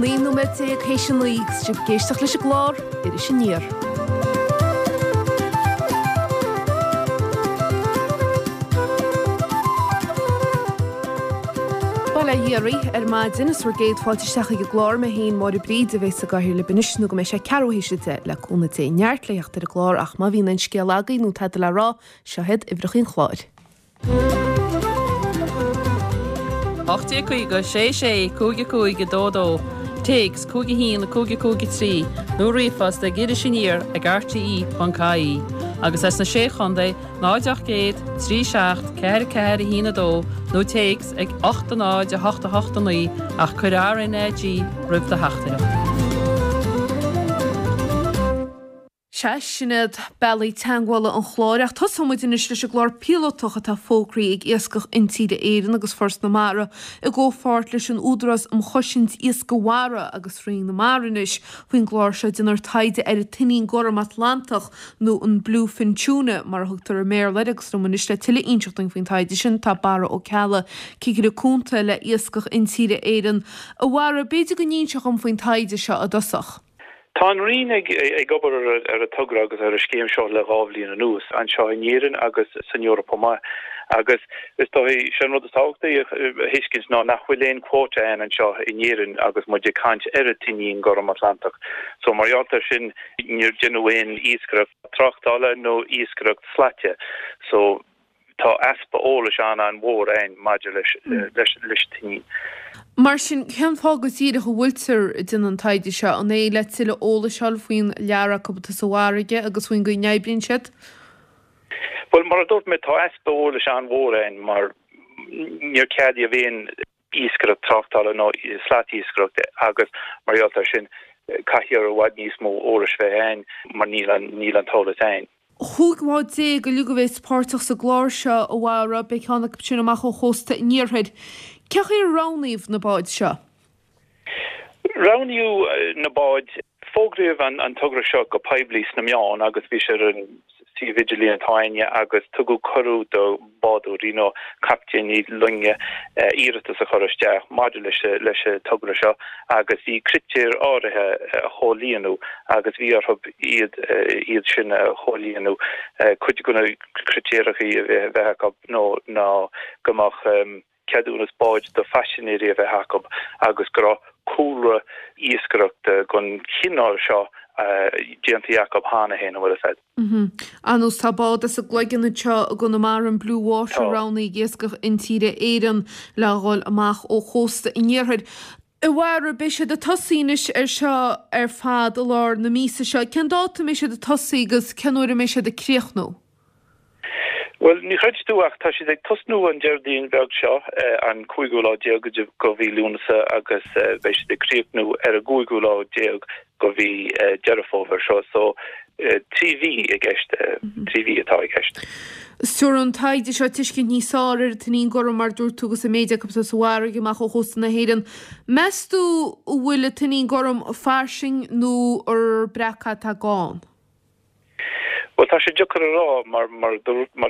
19 nóiméad théis a 9 agus sibh ag éisteacht leis an gclár Iris Aniar. Bail ó Dhia oraibh ar maidin is bhur gcéad fáilte isteach ag an gclár mé féin Máire Bríd a bheas i gcathaoir libh anois nó go mbeidh sé ceathrú théis 10 le cúnamh Dé. Neart le theacht ar an gclár ach má bhíonn aon scéal agaibh nó tada le rá, seo iad uimhreacha an chláir. 1850 6 6 5 5 2 2, Téacs 5 1 5 5 3 nó ríomhphost ag irisaniar ag rte.ie agus as na Sé Chontae 0 800 3 7 4 4 1 2 nó téacs ag 8 0 8 8 9 ach cuir RnaG roimh do theachtaireacht. Sea, sin iad bealaí teagmhála an chláir ach tosóidh muid anois leis an gclár píolótach atá fógraithe ag Iascach Intíre Éireann agus Foras na Mara i gcomhpháirt leis an Údarás um Chosaint Iascaigh Mhara agus Roinn na Mara anois. Faoin gclár seo déanfar taighde ar an tuinnín gorm Atlantach nó an Bluefin Tuna mar a thugtar i mBéarla air agus liom anois le tuilleadh a inseacht dúinn faoin taighde sin tá Barra Ó Ceallaigh, Cigire Cúnta le Iascach Intíre Éireann. A Bharra, b'fhéidir go n-inseofá dhom faoin taighde seo i dtosach. Tá an Roinn ag obair ar an togra agus ar an scéim seo le 2 bhliain anuas, anseo in Éirinn agus san Eoraip chomh maith. Agus is dóigh, sé an rud is tábhachtaí a thuiscint ná nach bhfuil aon quota ann anseo in Éirinn agus muid ag caint ar an tuinnín gorm Atlantach. So mar gheall air sin níor deineadh aon iascaireacht tráchtála nó iascaireacht slaite. So. Tá easpa eolais an-an-mhór ann maidir leis an tuinnín. Mar sin, cén fáth go díreach a bhfuiltear ag déanamh an taighde seo? An é le tuilleadh eolais a fháil faoin lear acu atá sa bhfarraige agus faoin gcaoi a n-oibríonn siad? Bhuel, mar a dúirt mé, tá easpa eolais an-mhór ann mar níor ceadaíodh aon iascaireacht tráchtála nó slatiascaireacht agus mar gheall air sin caithfear i bhfad níos mó eolais bheith ann mar níl an níl an t-eolas ann. 15 bhád uilig a bheas páirteach sa gclár seo, a Bharra, beidh ceann acu sin amach ó chósta an iarthair. Cén chaoi ar roghnaíodh na báid seo? Roghnaíodh na báid. Fógraíodh an togra seo go poiblí sna meáin agus bhí sé ar an suíomh idirlín atá againne agus tugadh cuireadh do bhádóirí nó captaeiní loinge iarratas a chur isteach maidir leis an togra seo agus bhí critéir áirithe a chomhlíonadh agus bhí orthu iad iad sin a chomhlíonadh. Cuid de na critéarachaí a bheith acu ná go mbeadh ceadúnas báid do phaisinéirí a bheith acu agus go raibh cúlra iascaireachta den chineál seo déanta acu cheana féin, an bhfuil fhios a'd. Ar nós tá bád as an gCloigeann anseo i gConamara, an Blue Water, roghnaithe ag Iascach Intíre Éireann le dhul amach ó chósta an iarthair. A Bharra, beidh siad ag tosaí anois ar seo ar fad i lár na míosa seo. Cén dáta a mbeidh siad ag tosaí agus cén uair a mbeidh siad ag críochnú? Bhuel, ní chreidfidh tú ach tá siad ag tosnú an Déardaoin bheag seo, an cúigiú lá déag de mhí Lúnasa agus beidh siad ag críochnú ar an gcúigiú lá déag de mhí Deireadh Fómhair seo. So, 3 mhí i gceist, 3 mhí atá i gceist. Tabharfaidh an taighde seo tuiscint níos fearr ar an tuinnín gorm mar dúirt tú agus an méid acu atá sa bhfarraige amach ó chósta na hÉireann. Meas tú an bhfuil an tuinnín gorm fairsing nó ar breac atá gann? Bhuel, tá sé deacair a rá mar, mar a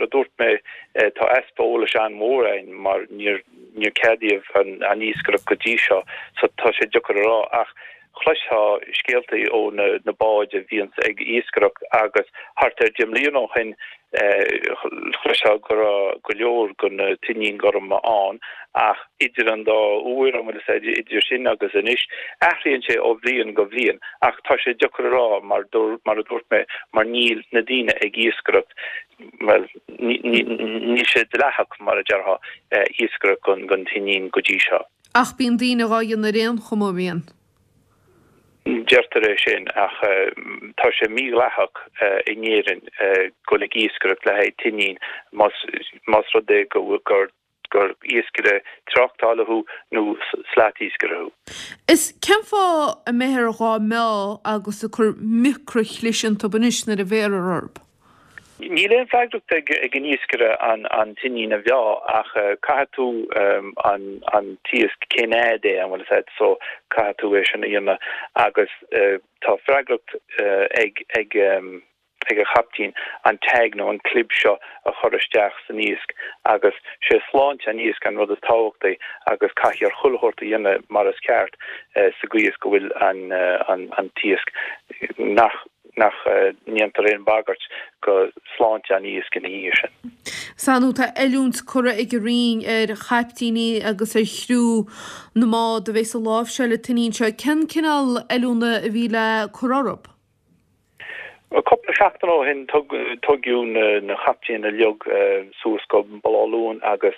dúirt mé, tá easpa eolais an-mhór ann mar níor, níor ceadaíodh an iascaireacht go dtí seo so tá sé deacair a rá ach chloisfeá scéaltaí ó na, na báid a bhíonns ag iascaireacht agus thart ar 10 mbliana ó shin chloisfeá go raibh go leor de na tuinnín gorma ann ach idir an dá uair, an bhfuil fhios a'd, idir sin agus anois, athraíonn sé ó bhliain go bhliain ach tá sé deacair a rá mar, mar a dúirt mé, mar níl na daoine ag iascaireacht, bhuel, níl sé dleathach, mar a déarfá, iascaireacht den tuinnín go dtí seo. Ach bíonn daoine dhá dhéanamh ar aon chuma, an mbíonn? Deirtear é sin ach tá sé mídhleathach in Éirinn dul ag iascaireacht le haghaidh tuinnín más rud é gur gur iascaire tráchtála thú nó slatiascaire thú. Is cén fáth a mbeifear dhá meá agus ag cur micreashlis iontu anois nuair a bhéarfar orthu? Níl aon freagracht ag an iascaire an tuinnín a mheá ach caithfidh tú an t-iasc cén fhad é an bhfuil fhios a'd so caithfidh tú é sin a dhéanamh agus tá freagracht ag ag. ag an chaiptín an tag nó an clib seo a chur isteach san iasc agus sé sláinte an iasc an rud is tábhachtaí agus caithfear chuile shórt a dhéanamh mar is ceart sa gcaoi is go bhfuil an an t-iasc nach nach ndéantar aon bhagairt go sláinte an iasc ina dhiaidh sin. Sea nó tá oiliúint curtha ag an Roinn ar chaiptíní agus ar chriú na mbád a bheas ag láimhseáil an tuinnín seo. Cén cineál oiliúna a bhí le cur orthu? Cúpla seachtain ó shin tugadh na captaein uilig suas go Baile Átha Luain agus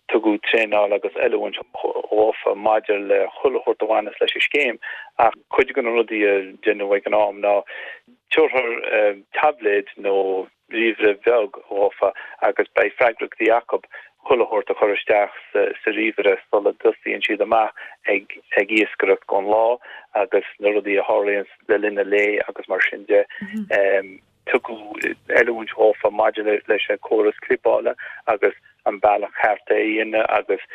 tugadh traenáil agus oiliúint dhófa maidir le chuile shórt a bhaineas leis an scéim ach cuid de na rudaí a deineadh ag an am ná tabharfar taibléad nó ríomhaire bheag dhófa agus beidh freagrachtaí acu chuile shórt a chur isteach sa ríomhaire sula dtosaíonn siad amach ag ag iascaireacht don lá agus na rudaí a tharlaíonn le linn an lae agus mar sin de. Tugadh oiliúint dhófa maidir leis an córas clibeála agus an bealach ceart é a dhéanamh agus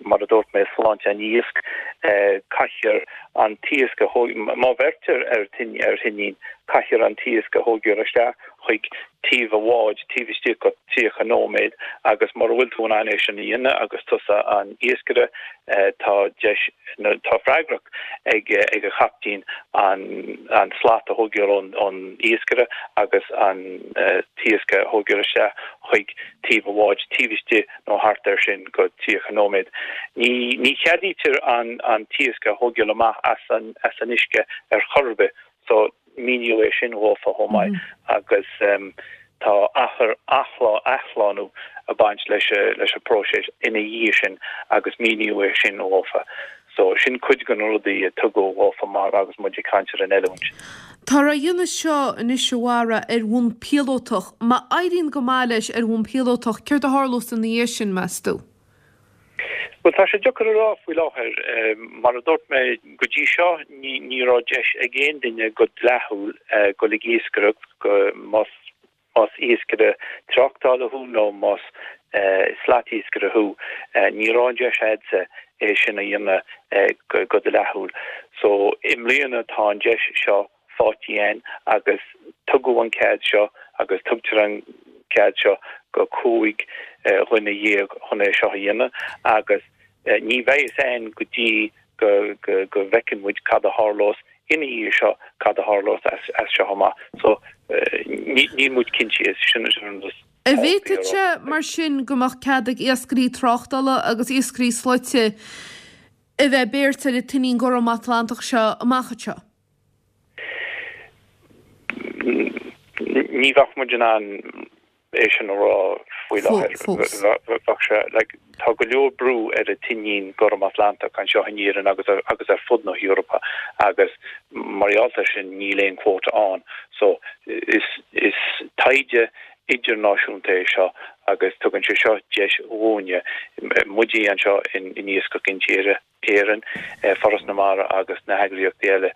mar a dúirt mé, sláinte an iasc. Caithfear an t-iasc a thóg, má bheirtear ar ar thuinnín, caithfear an t-iasc a thógáil isteach chuig taobh an bháid taobh istigh de 30 nóiméad agus mura bhfuil tú in ann é sin a dhéanamh agus tusa an iascaire, tá deis, tá freagracht ag ag an chaiptín an an slat a thógáil ón ón iascaire agus an t-iasc a thógáil isteach chuig taobh an bháid taobh istigh nó thart air sin go 30 nóiméad. Ní ní cheadaítear an an t-iasc a thógáil amach as an as an uisce ar chor ar bith so míníodh é sin dhófa chomh maith agus tá achar athlá athshlánú ag baint leis leis an bpróiseas ina dhiaidh sin agus míníodh é sin dhófa. So, sin cuid de na rudaí a tugadh dhófa mar agus muid ag caint ar an oiliúint. Táthar á dhéanamh seo anois a Bharra ar bhonn píolótach. Má éiríonn go maith leis ar bhonn píolótach, céard a tharlós ina dhiaidh sin, meas tú? Bhuel, tá sé deacair a rá faoi láthair. Mar a dúirt mé, go dtí seo ní ní raibh deis ag aon duine go dleathúil dul ag iascaireacht go más Más iascaire tráchtála thú nó más slatiascaire thú, ní raibh an deis a'dsa é sin a dhéanamh go dleathúil. So, i mbliana tá an deis seo faighte a'inn agus tugadh an cead seo agus tugtar an cead seo go 15 dhuine chun é seo a dhéanamh agus ní bheidh fhios a'inn go dtí go go bhfeiceann muid cad a tharlós ina dhiaidh seo, cad a tharlós as seo amach. So, níl muid cinnte, sin an rud is An bhféadfadh sé, mar sin, go mbeadh cead ag iascairí tráchtála agus iascairí slaite a bheith ag beirt ar an tuinnín gorm Atlantach seo amach anseo? Ní bheadh muid in ann é sin a rá faoi láthair. Fós. Bheadh sé, like, tá go leor brú ar an tuinnín gorm Atlantach anseo in Éirinn agus ar, agus ar fud na hEorpa agus mar gheall air sin níl aon quota ann. So, is, is taighde idirnáisiúnta é seo agus tugann sé seo deis dhúinne, muide anseo in, in Iascach Intíre, Éireann, Foras na Mara agus na heagraíochtaí eile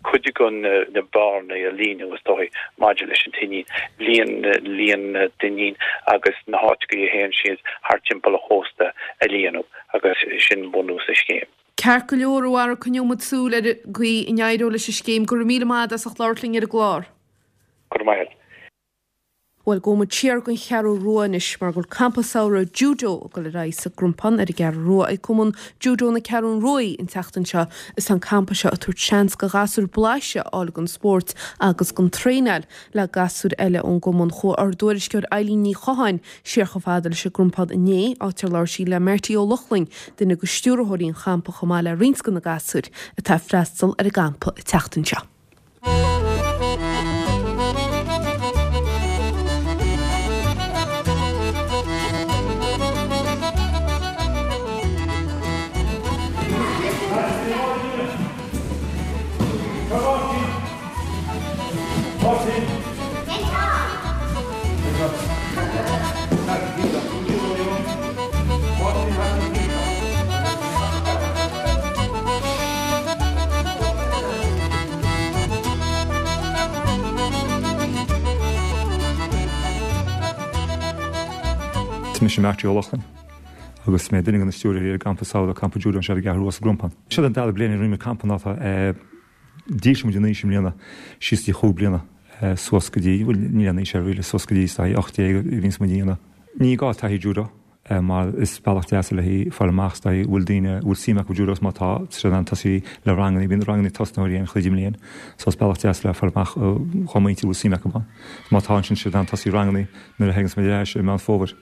cuid de na bearnaí a líonadh is dóigh maidir leis an tuinnín, líon líon na dtuinnín agus na háiteacha a théann siad thart timpeall an chósta a líonadh agus sin bunús an scéim. Ceart go leor, a Bharra, coinneoidh muid súil ar an gcaoi a n-éireoidh leis an scéim. Go raibh míle maith agat as ucht labhairt linn ar an gclár. Go raibh maith agat. Bhuel, gabhfaidh muid siar gon Cheathrú Rua anois mar go bhfuil campa samhraidh Judo ag dul ar aghaidh sa gCrompán ar an gCeathrú Rua ag Cumann Judo na Ceathrún Ruaidh an tseachtain seo. Is tá an campa seo ag tabhairt seans go ghasúir blaiseadh a fháil gon spórt agus gon traenáil le gasúir eile ón gcumann. Chuaigh ár dtuairisceoir Eilín Ní Chatháin siar chomh fada leis an gCrompán inné, áit ar labhair sí le Marty Ó Lochlainn, duine de stiúrthóirí an champa chomh maith le roinnt de na gasúir atá ag freastal ar an gcampa an tseachtain seo. Is mise Marty Ó Lochlainn agus mé duine de na stiúrthóirí ar an gcampa samhraidh, Campa Judo anseo ar an gCeathrú Rua sa gCrompán. Seo an dara bliain a rinne muid campa ná tá dílse muid in aois i mbliana síos dtí chúig bliana. suas go dtí, bhuel níl aon aois air really, suas go dtí is dóigh 18 a bhíonns muid a dhéanamh. Ní gá taithí judo mar is bealach deas le haghaidh fáil amach is dóigh bhfuil daoine a bhfuil suim acu judo agus má tá, tá siad in ann tosaí le ranganna, bíonn ranganna tosnaitheoirí ann chuile mbliain so is bealach deas le fáil amach dhá muintir a bhfuil suim acu ann. Má tá ansin tá siad in ann tosaí ranganna nuair a thaganns muid ar ais i Meán Fómhair.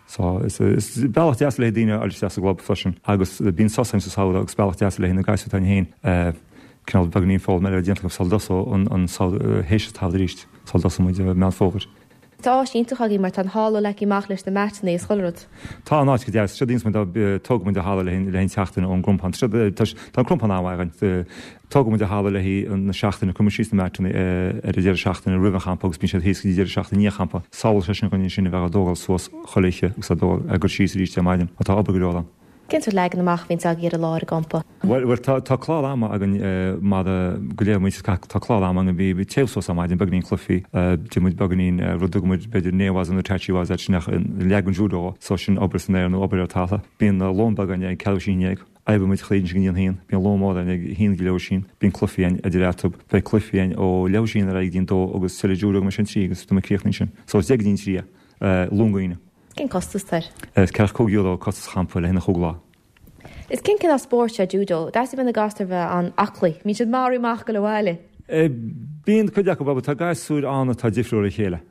So is bealach deas le haghaidh daoine a fháil isteach sa gclub freisin agus bíonn sos ann sa samhradh agus bealach deas le haghaidh na gasúir atá ann féin cineál beagáinín foghlaim eile déanta acu sula dtosóidh an an samhradh théis an tsamhraidh arís sula dtosóidh muid i Meán Fómhair. Tá áis iontach agaibh mar tá an halla leagtha amach leis na meatanna is chuile rud. Tá an áit go deas. Séard a dhéanas muid ná tógann muid an halla le haghaidh an tseachtain ón gCrompán. Tá an Crompán an-mhaith againn. Tógann muid an halla le haghaidh na seachtaine, cuireann muid síos na meatanna ar an deireadh seachtaine roimh an champa agus bíonn siad thíos go dtí deireadh seachtaine i ndiaidh an champa. Sábhálann sé sin dhúinn ansin a bheith á dtógáil suas chuile oíche agus á dtógáil, á gcur síos arís ar maidin mar tá obair go leor ann. Cén sórt leagan amach a bhíonns agaibh ar an lá ar an gcampa? Bhuel, tá, tá clár ama againn mar go léir muid, tá clár ama againn, bíonn téamh suas ar maidin, beagáinín cluichí, déanann muid beagáinín rud a dtugann muid b'fhéidir ne-waza nó tachi-waza sin ach leagan judo, so sin obair san aer nó obair ar talamh. Bíonn lón beag againn ag ceathrú théis a haon dhéag. Oibreoidh muid chuile oíche go dtí an haon. Bíonn lón mór againn ag a haon go leathuair théis a haon. Bíonn cluichí againn idir eatarthu. Beidh cluichí againn ó leathuair théis a haon ar aghaidh go dtí an dó agus tuilleadh judo go mbeidh sé an trí agus tá muid críochnaithe ansin. So is deich go dtí an trí é. Luan go hAoine. Cén costas atá air? Is €45 costas an champa le haghaidh na chúig lá. Is cén cineál spóirt é judo? D'fhéadfadh bheith na gasúir bheith an-aclaí. Mbíonn siad maraithe amach ag dul abhaile. Bíonn cuid acu, but tá gasúir ann atá difriúil ó chéile.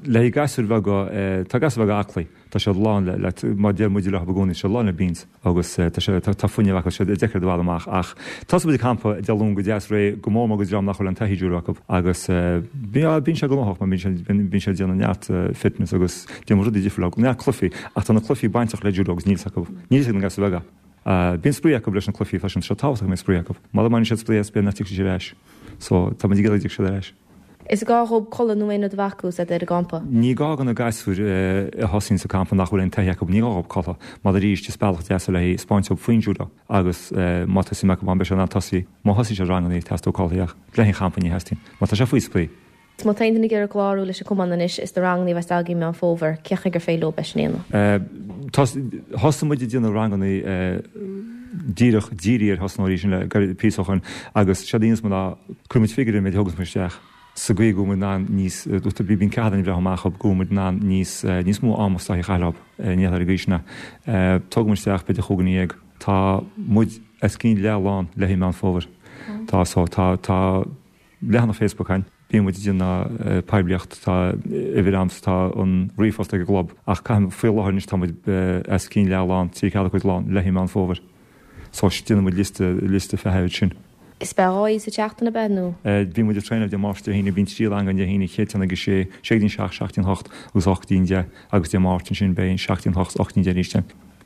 Le haghaidh gasúir bheaga, tá gasúir bheaga aclaí, tá siad lán le, le, mar deir muid leo i gcónaí, tá siad lán le beans agus tá sé, tá fuinneamh acu, tá siad deacair a bhaile amach ach tosóidh muid an campa Dé Luain go deas réidh, go mór mór go dream nach bhfuil aon taithí judo acu agus bíonn sé gnóthach mar bíonn sé, bíonn sé ag déanamh neart fitness agus déanamh rudaí difriúla, neart cluichí ach tá na cluichí bainteach le judo agus níl 's acu, níl 's ag na gasúir bheaga. Bíonn spraoi acu leis na cluichí freisin, tá sé tábhachtach go mbeidh spraoi acu. Mura mbaineann siad spraoi as b'fhéidir nach dtiocfaidh siad ar ais. So tá muid ag iarraidh go dtiocfaidh siad ar ais. Is gá dhób codladh nó aon rud a bheith acu is iad ar an gcampa? Ní gá do na gasúir a thosaíonn sa campa nach bhfuil aon taithí acu, ní gá dhób codladh, mar arís is bealach deas é le haghaidh 'spáint dóibh faoin judo agus má tá suim acu ann beidh siad in ann tosaí. Má thosaíonn siad ranganna teastóidh codladh ach le haghaidh an champa ní theastaíonn mar tá sé faoi spraoi. Má tá aon duine ag iarraidh clárú leis an cumann anois is na ranganna a bheas agaibh i Meán Fómhair, cén chaoi gur féidir leo é sin a dhéanamh? Thosaigh muid ag déanamh ranganna díreach dírithe ar thosnóirí sin le gairid píosa ó shoin agus séard a dhéanas muid ná cuireann muid figiúr ar an méid a thugas muid isteach sa gcaoi go bhfuil muid in ann níos bíonn ceathair againn ag breathnú amach go bhfuil muid in ann níos níos mó ama is dóichí a chaitheamh leo ní ar an gcaoi sin tógann muid isteach b'fhéidir chúig dhuine dhéag tá muid os cionn leath lán le haghaidh Meán Fómhair tá so tá tá leathanach Facebook againn, bíonn muid ag déanamh poiblíocht, tá uimhir a'msa, tá an ríomhphost ag an gclub, ach caithfidh, faoi láthair anois tá muid os cionn leath lán, trí ceathair cuid lán, le haghaidh Meán Fómhair. So déanann muid liosta, liosta feithimh sin. Is beidh dhá oíche sa tseachtain ab ea nó? Bíonn muid ag traenáil Dé Máirt Dé hAoine, bíonn trí rang againn Dé hAoine, chéad ceann ag a sé, sé go dtí an seacht, seacht go dtí an hocht agus ocht go dtí an deich agus Dé Máirt ansin beidh seacht go dtí an hocht, ocht go dtí an deich arís.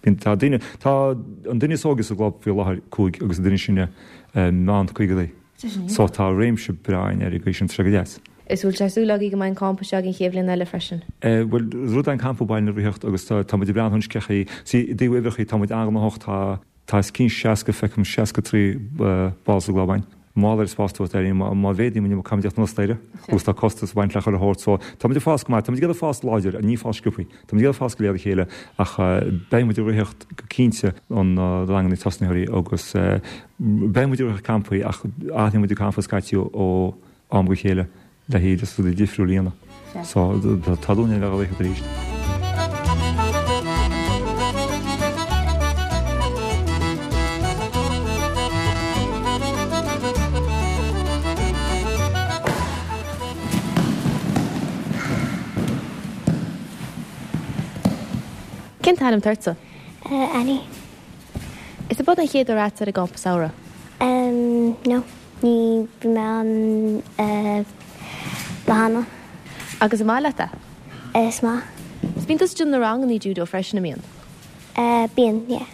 Bíonn, tá duine, tá an duine is óige sa gclub faoi láthair cúig agus an duine is sine meán caogaidí. So tá réimse breá againn ar an gcaoi sin, tá sé go deas. Is bhfuil sé súil agaibh go mbeidh an campa seo agaibh an chéad bhliain eile freisin? Bhuel, rud é an campa Baile na Ríthe agus tá tá muid ag breathnú anois cén chaoi, see, i dtaobh uimhreachaí tá muid an-ghnóthach, tá tá os cionn 60, feicim 63 ball sa gclub againn. Mar gheall ar an spás atá againn, má má mhéadaíonn muid caithfimid teacht anuas staighre agus tá costas ag baint le chuile shórt so tá muid ag fás go maith, tá muid ag iarraidh fás láidir, ní fás sciobthaí. Tá muid ag iarraidh fás go léir le chéile ach beidh muid ag ritheacht go cinnte an ranganna tosnaitheoirí agus beidh muid ag ritheacht campaí ach athraíonn muid an campa scaití ó am go chéile le haghaidh just rudaí difriúla a dhéanamh. So tá dúil againn a bheith á ritheacht arís. Cén t-ainm atá ortsa? Annie. Is ab ea an chéad uair a'dsa ar an gcampa samhraidh? No, ní bhí mé ann lá cheana. Agus an maith leat é? Is maith. Is bíonn tusa ag déanamh na rangannaí judo freisin, an mbíonn? Bíonn, yeah.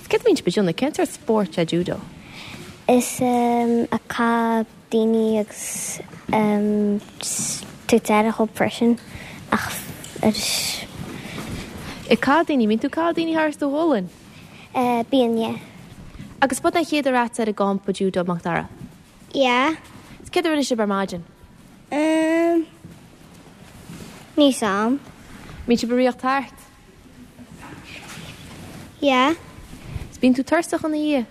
Is céard a bhíonn sibh ag déanamh? Cén sórt spóirt é judo? Is ag caitheamh daoine agus tabhairt aire dhóibh freisin ach arís. Ag caitheamh daoine, mbíonn tú ag caitheamh daoine thar do ghualainn? Bíonn, yeah. Agus ab é an chéad uair a'dsa ar an gcampa judo, Macdara? Yeah. Is céard a rinne sibh ar maidin? Níl 's a'm. Mbíonn sibh ag ritheacht thart? Yeah. Is bíonn tú tuirseach ina dhiaidh?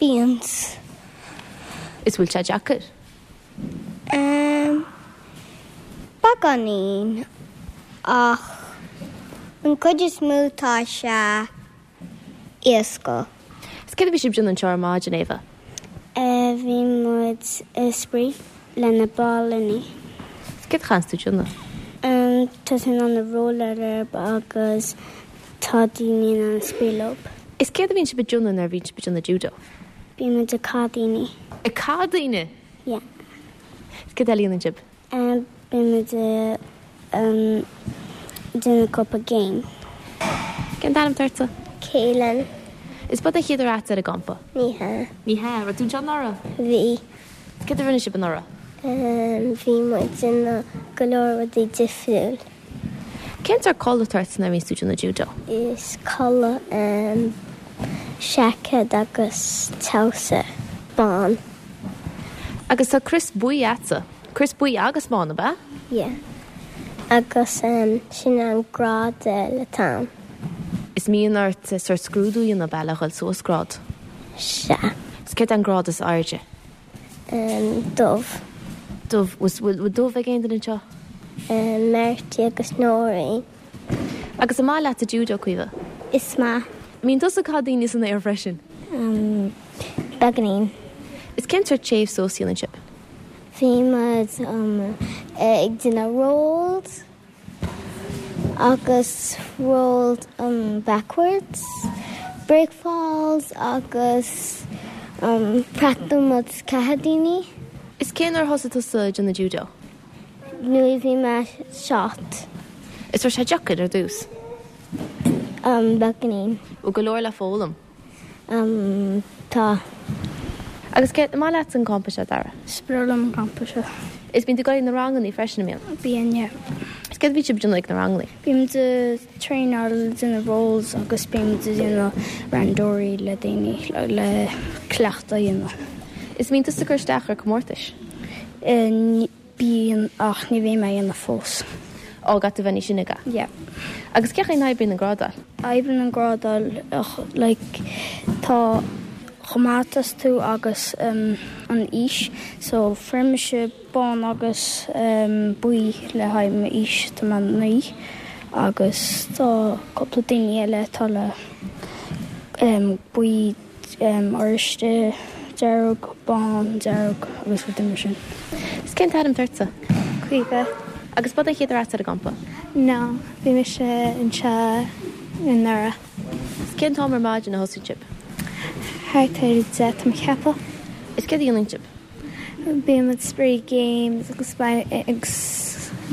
Bíonn. Is bhfuil sé deacair? Ehm, beagáinín, ach an cuid is mó tá sé éasca. Is céard a bhí sibh ag déanamh anseo ar maidin, Éabha? Eh, bhí muid ag spraoi le na balúnaí. Is céard a chaitheanns tú déanamh? Ehm, tá tú in ann rolláil orthu agus tá daoine in ann spraoi leo. Is céard a bhíonn sibh ag déanamh nuair a bhíonn sibh ag déanamh judo? Bíonn muid ag cath daoine. Ag cath daoine? Yeah. Is céard eile a dhéanann sibh? Bíonn muid ag déanamh cúpla game. Cén t-ainm atá ortsa? Keelan. Is ab é an chéad uair agat ar an gcampa? Ní hea. Ní hea. Raibh tú anseo anuraidh? Bhí. Céard a rinne sibh anuraidh? Bhí muid ag déanamh go leor rudaí difriúil. Cén sórt culaith atá ort nuair a bhíonns tú ag déanamh judo? Is culaith seaicéad agus treabhsar bán. Agus tá crios buí a'tsa. Crios buí agus bán, ab ea? Yeah. Agus sin an grád eile atá ann. Is mbíonn ort sórt scrúdú a dhéanamh, ab ea, le dhul suas grád? Sea. Is céard é an grád is airde? Dubh. Dubh. Bhfuil dubh ag aon duine anseo? Marty agus Nóirín. Agus an maith leatsa judo, Caoimhe? Is maith. Mbíonn tusa ag caitheamh daoine san aer freisin? Beagáinín. Is cén sórt téamh suas a dhéanann sibh? Bhí muid ag déanamh rolls. agus rolls backwards, break falls agus practice muid caitheamh daoine. Is cén uair a thosaigh tusa ag déanamh judo? Nuair a bhí mé 7. Is raibh sé deacair ar dtús? Beagáinín. Bhfuil go leor le foghlaim? Umm, tá. Agus cé, an maith leatsa an campa seo, Dara? Is breá liom an campa seo. Is bíonn tú ag dul ag na rangannaí freisin, an mbíonn? Bíonn, yeah. Is céard a bhíonn sibh ag déanamh ag na rangannaí? Bímid ag traenáil déanamh rolls agus bímid ag déanamh randori le daoine le cleachtadh a dhéanamh. Is mbíonn tusa ag cur isteach ar comórtais? Bíonn, ach ní bhí mé a dhéanamh fós. Á, caithfidh tú bheith níos sine, ab ea? Yeah. Agus cén chaoi a n-oibríonn an grádáil? Oibríonn an grádáil ach like tá chomh maith atá tú agus an aois so fuair mise bán agus buí le haghaidh m'aois, tá mé 9 agus tá cúpla daoine eile atá le buí oráiste, dearg, bán, dearg agus rudaí mar sin. Is cén t-ainm atá ortsa? Caoimhe. Agus ab é an chéad uair agatsa ar an gcampa? No, bhí mise anseo anuraidh. Is cén t-am ar maidin a thosaíonn sibh? Thart ar a 10 tá mé ag ceapadh. Is céard a dhéanann sibh? Bíonn muid spraoi games agus agus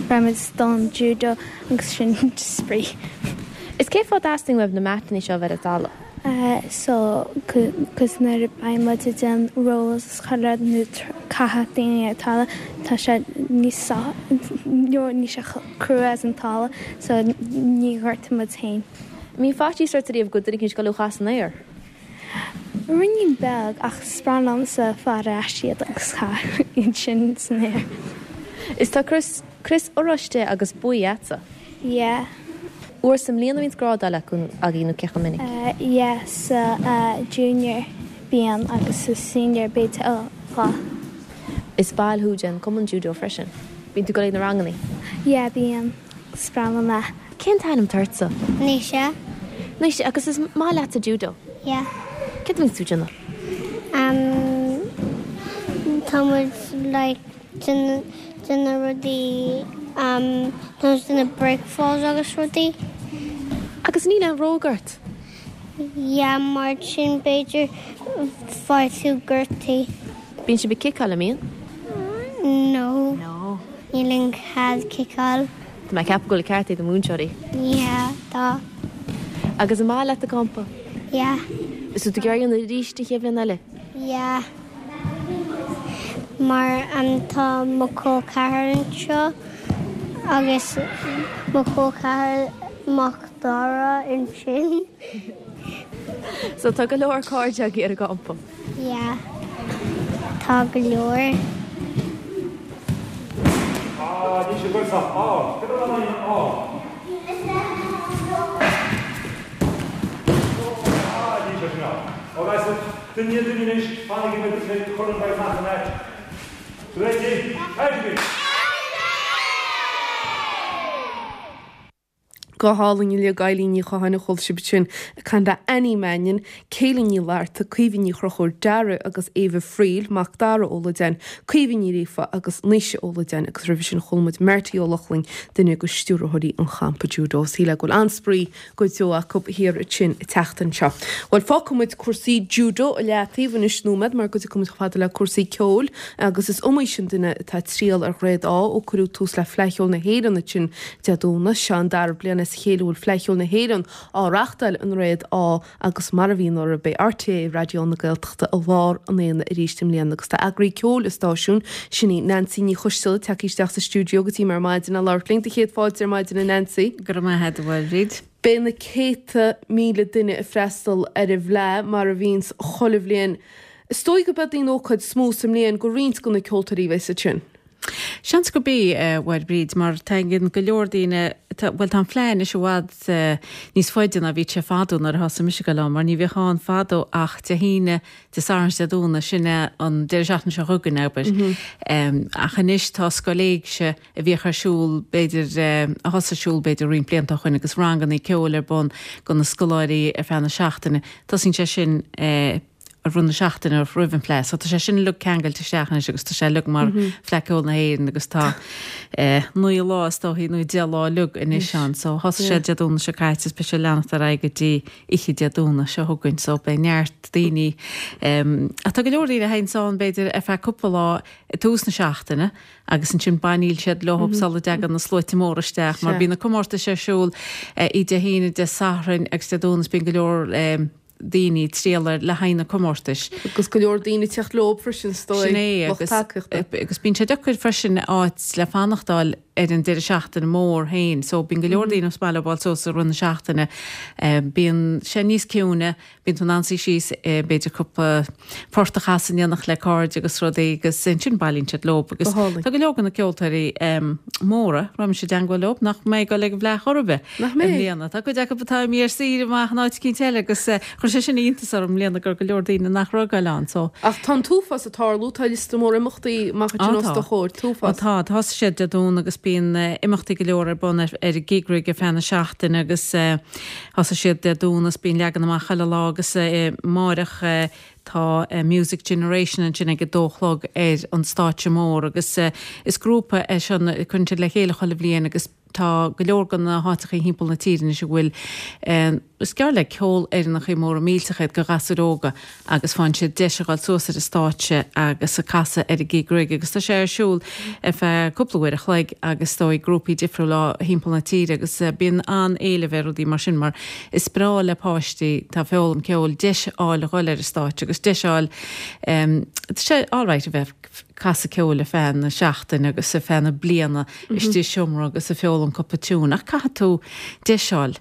beidh muid don judo agus sin spraoi. Is cén fáth a dteastaíonn uaibh na matanna seo a bheith ar an talamh? So cos nuair a beidh muid ag déanamh rolls is chuile rud nó caitheamh daoine ar talamh tá sé níos níl sé chomh crua as an talamh so ní ghortaíonn muid féin. Mbíonn faitíos ort ariamh go bhfuil duine eicínt ag dul thú a chaitheamh san aer? Ruainnín beag, ach is breá liomsa fáil ar ais iad agus caitheamh iad sin san aer. Is tá crios, crios oráiste agus buí a'dsa. Yeah. Uair sa mbliain a bhíonns grádáil acu, agaibh nó cé chomh minic? Yeah, sa junior bíonn agus sa senior b'fhéidir dhá. Is ball thú den cumann judo freisin. Bíonn tú ag dul ag na rangannaí? Yeah, bíonn. Is breá liom é. Cén t-ainm atá ortsa? Naoise. Naoise, agus is maith leatsa judo? Yeah. Céard a bhíonns tú ag déanamh? Umm, tá muid like déanamh rudaí, umm, tá muid déanamh break falls agus rudaí. Agus níl aon bhróg ort? Yeah, mar sin b'fhéidir faigheann tú gortaí. Bíonn sibh ag ciceáil, an mbíonn? No. No. Níl aon chead ciceáil. Tá mé ag ceapadh go bhfuil an ceart ag do mhúinteoirí. Yeah, tá. Agus an maith leat an campa? Yeah. Is tú ag iarraidh a dhéanamh arís an chéad bhliain eile? Yeah. Mar tá mo chol ceathar anseo agus mo chol ceathar mac Dara ansin. So tá go leor cairde agaibh ar an gcampa? Yeah. Tá go leor. Ah, níl sé ag dul sách ard. Cad é an ard? Ah, níl sé sin ard. Ó, guys, duine, duine anois, fanaigí, beidh, beidh, cuireann, beidh amach an áit. Ready? Ready! Go hálainn uilig, Eilín Ní Chatháin a chuala sibh ansin ag caint le Annie Mannion, Kayleigh Ní Fhlatharta, Caoimhe Ní Chonchúir, Dara agus Éabha Friel, Mac Dara Ó Loideáin, Caoimhe Ní Ghríofa agus Naoise Ó Loideáin agus roimhe sin chuala muid Marty Ó Lochlainn, duine de stiúrthóirí an champa judo. Shílfeá go bhfuil an-spraoi go deo acu thiar ansin an tseachtain seo. Bhuel, fágfaidh muid cúrsaí judo i leataobh anois nóiméad mar go dtiocfaidh muid chomh fada le cúrsaí ceoil agus is iomaí sin duine atá ag triall ar Dhroichead Átha ó cuireadh tús le Fleadh Cheoil na hÉireann ansin Dé Domhnaigh. Seo an dara bliain as a chéile a bhfuil Fleadh Cheoil na hÉireann á reachtáil i nDroichead Átha agus mar a bhí anuraidh beidh RTÉ Raidió na Gaeltachta i lár an aonaigh arís i mbliana agus tá eagraí ceoil an stáisiúin, sin í Nancy Ní Choisteala, tagtha isteach sa stiúideo go dtí mé ar maidin le labhairt linn. Do chéad fáilte ar maidin a Nancy. Go raibh maith agat a Mháire. Beidh na céadta míle duine ag freastal ar an bhFleadh mar a bhíonns chuile bhliain. Is dóigh go beidh an ócáid is mó sa mbliain go roinnt de na ceoltóirí a bheas ansin. Seans gurb í, a Mháire Bríd, mar tagann go leor daoine, bhuel tá an Fleadh anois i bhfad níos faide ná bhí sé fadó nuair a thosaigh mise ag dul ann, mar ní bhíodh ann fadó ach Dé hAoine, Dé Sathairn is Dé Domhnaigh, sin é an deireadh seachtaine seo chugainn, abair. Ach anois tá Scoil Éigse a bhíodh ar siúl b'fhéidir, a thosaigh ar siúl b'fhéidir roinnt blianta ó shoin agus rangannaí ceoil ar bun do na scoláirí ar feadh na seachtaine, tosaíonn sé sin, i rith na seachtaine roimh an Fleadh. So tá sé sin uilig ceangailte isteach anois agus tá sé uilig mar Fleadh Ceoil na hÉireann agus tá 9 lá is dóichí nó 10 lá uilig anois ann. So thosaigh sé Dé Domhnaigh seo caite is beidh sé ag leanacht ar aghaidh go dtí oíche Dé Domhnaigh seo chugainn. So beidh neart daoine ach tá go leor daoine a théanns ann b'fhéidir ar feadh cúpla lá i dtús na seachtaine agus ansin bailíonn siad leo sula dtagann na sluaite móra isteach mar bíonn na comórtais ar siúl oíche Dé hAoine, Dé Sathairn agus Dé Domhnaigh is bíonn go leor daoine ag triall ar le haghaidh na comórtais. Agus go leor daoine ag teacht leo freisin, is dóigh, Sin é, lucht agus, tacaíochta. agus bíonn sé deacair freisin áit le fanacht a fháil ar an deireadh seachtaine mór féin. So bíonn go leor daoine as baile ag fáil suas i rith na seachtaine. Bíonn sé níos ciúine, bíonn tú in ann suí síos, b'fhéidir cúpla port a chasadh in éineacht le cairde agus rudaí agus ansin bailíonn siad leo. Agus Go hálainn. tá go leor de na ceoltóirí móra, raibh mise i dteangmháil leo, nach mbeidh ag dul ag an bhFleadh chor ar bith. Nach i mbeidh? mbliana. Tá cuid acu atá imithe ar saoire amach in áit eicínt eile agus chuir sé sin iontas orm i mbliana go raibh go leor daoine nach raibh ag goil ann so. Ach tá an t-uafás ag tarlú, tá liosta mór imeachtaí amach Á ansin os tá. do chomhair, Á t-uafás. tá. Thosaigh sé Dé Domhnaigh agus bíonn imeachtaí go leor ar bun ar ar an gig rig ar feadh na seachtaine agus thosaigh siad Dé Domhnaigh is bíonn leagan amach chuile lá agus amáireach Tá Music Generation ansin ag a dó a chlog ar an stáitse mór agus is grúpa é seo a cuireann siad le chéile chuile bhliain agus tá go leor de na háiteachaí thimpeall na tíre anois a bhfuil is gearr le ceolfhoireannachaí móra millteacha iad do ghasúir óga agus faigheann siad deis a dhul suas ar an stáitse agus a casadh ar an gig rig agus tá sé ar siúl ar feadh cúpla uair a chloig agus is dóigh grúpaí difriúla thimpeall na tíre agus bíonn an-éileamh ar rudaí mar sin mar is breá le páistí atá ag foghlaim ceoil deis a fháil a dhul ar an stáitse agus deis a fháil tá sé alright a bheith casadh ceoil ar feadh na seachtaine agus ar feadh na bliana istigh i seomra agus ag foghlaim cúpla tiún ach caithfidh tú deis a fháil,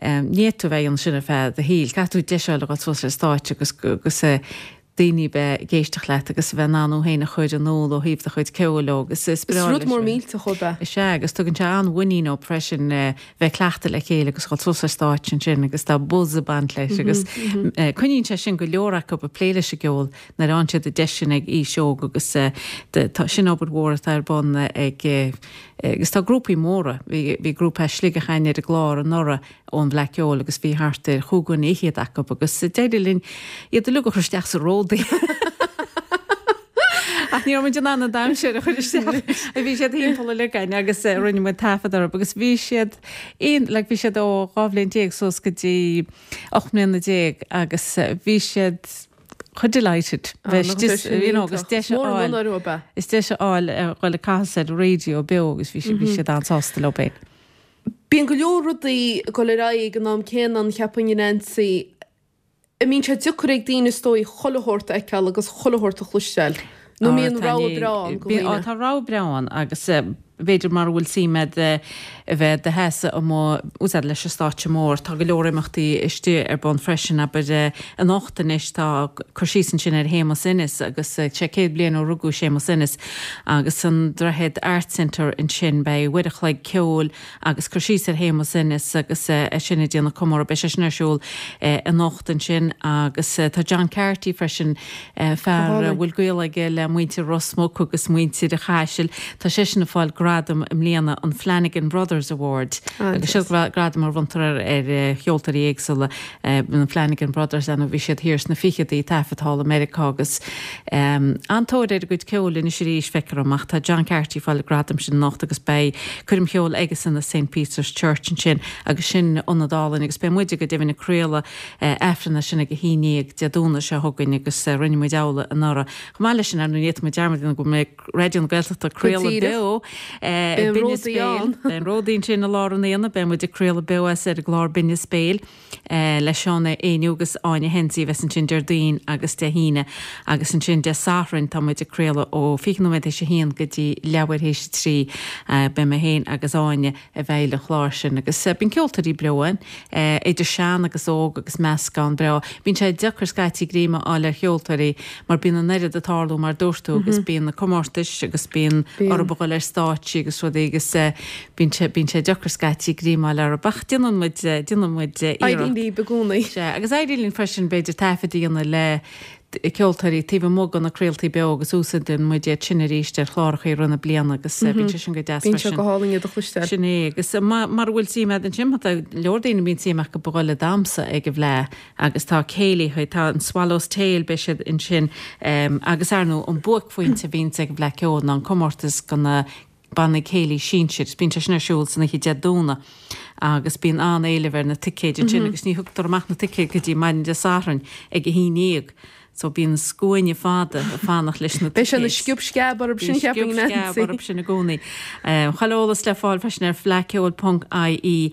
ní fhéadfaidh tú a bheith ag déanamh sin ar feadh do shaoil, caithfidh tú deis a fháil a dhul suas ar stáitse agus agus daoine a bheith ag éisteacht leat agus a bheith in ann thú féin a chur in iúl ó thaobh do chuid ceoil dó agus is Is breá rud leis mór millteach ab ea. Is ea agus tugann sé an-mhuinín dóibh freisin bheith ag cleachtadh le chéile agus dhul suas ar stáitse ansin agus tá buzz ag baint leis agus coinníonn sé sin go leor acu ag plé leis an gceol nuair a fhaigheann siad an deis sin ag aois óg agus tá sin obair mhór atá ar bun ag agus tá grúpaí móra, bhí bhí grúpa as Sligeach againn ar an gclár anuraidh ón bhFleadh Ceoil agus bhí thart ar chúig dhuine fhichead acu agus d'éirigh linn iad uilig a chur isteach sa ródaí. Ach ní raibh muid in ann an daimséir a chur isteach. Bhí siad thimpeall uilig againn agus rinne muid taifead orthu agus bhí siad aon like bhí siad ó 12 bhliain suas go dtí 18 mbliana agus bhí siad chomh delighted bheith istigh you know agus deis a fháil is deis a fháil a dhul ag casadh ar an raidió beo agus bhí bhí siad an-sásta leo féin. Bíonn go leor rudaí ag dul ar aghaidh ag an am céanna ann cheapfainn a Nancy. An mbíonn sé deacair ag daoine is dóigh chuile shórt a fheiceáil agus chuile shórt a chloisteáil? Nó an mbíonn rogha breá ann do dhaoine? Tá rogha breá ann agus. B'fhéidir mara bhfuil suim a'd a bheith do sheasamh amuigh úsáid leis an stáitse mór. Tá go leor imeachtaí istigh ar bun freisin, abair anocht anois tá cur síos ansin ar Shéamus Ennis agus sé 100 bliain ó rugadh Séamus Ennis agus san Droichead Arts Centre ansin beidh uair a chloig ceoil agus cur síos ar Shéamus Ennis agus é sin ag déanamh comóradh. Beidh sé sin ar siúl anocht ansin agus tá John Carty freisin, fear a bhfuil gaol aige le muintir Ros Muc agus muintir an Chaisil, tá seisean ag fáil gradam i mbliana, an Flanagan Brothers Award agus seo gradam a bhronntar ar cheoltóirí éagsúla, na Flanagan Brothers, ar ndóigh bhí siad thiar sna ficheadaí ag taifead thall i Meiriceá agus an-tóir ar a gcuid ceoil anois arís, feictear dom, ach tá John Carty ag fáil an gradam sin anocht agus beidh coirm cheoil aigesan i St Peter's Church ansin agus sin ionad álainn agus beidh muide go deimhin ag craoladh Aifreann as sin ag a haon dhéag Dé Domhnaigh seo chugainn agus rinne muid amhlaidh anuraidh. Chomh maith leis sin, ar ndóigh, ní fhéadfaidh muid dearmad a dhéanamh go mbeidh Raidió na Gaeltachta ag craoladh beo i Binneas Béil. Beidh an Ródaí ansin i lár an aonaigh. Beidh muid ag craoladh beo as ar an gclár Binneas Béil le Seán Éinniú agus Áine Hensey a bheas ansin Déardaoin agus Dé hAoine. Agus ansin Dé Sathairn tá muid ag craoladh ó 20 nóiméad théis a haon go dtí leathuair théis a 3. Beidh mé féin agus Áine i bhfeighil an chláir sin agus bíonn ceoltóirí beo ann, idir sean agus óg agus meascán breá. Bíonn sé deacair scaití greim a fháil ar cheoltóirí mar bíonn an oiread ag tarlú mar dúirt tú agus bíonn na comórtais agus bíonn orthu a dhul ar stáitsí agus rudaí agus bíonn sé, bíonn sé deacair scaití greim a fháil orthu ach déanann muid, déanann muid iarracht. Éiríonn libh i gcónaí. Sea, agus éiríonn linn freisin b'fhéidir taifead a dhéanamh le ceoltóirí taobh amuigh de na craoltaí beo agus úsáideann muid iad sin arís ar chláracha i rith na bliana agus bíonn sé sin go deas freisin. Bíonn sé go hálainn iad a chloisteáil. Sin é agus mara bhfuil suim agat ansin, tá leor daoine a mbíonn suim acu a dhul ag damhsa ag an bhFleadh agus tá céilithe, tá an Swallow's Tail, beidh siad ansin agus ar ndóigh an buaicphointe a bhíonns ag an bhFleadh Ceoil ná an comórtas do na bannaí céilí sinsir. Bíonn sé sin ar siúl san oíche Dé Domhnaigh agus bíonn an-éileamh ar na ticéid ansin agus ní thugtar amach na ticéid go dtí maidin Dé Sathairn ag a haon dhéag. So bíonn scuaine fada ag fanacht leis na ticéid. Beidh sé ina sciob sceab orthu sin, cheapfainn, Nancy. Sciob sceab orthu sin i gcónaí. Chuile eolas le fáil freisin ar fleadhceoil.ie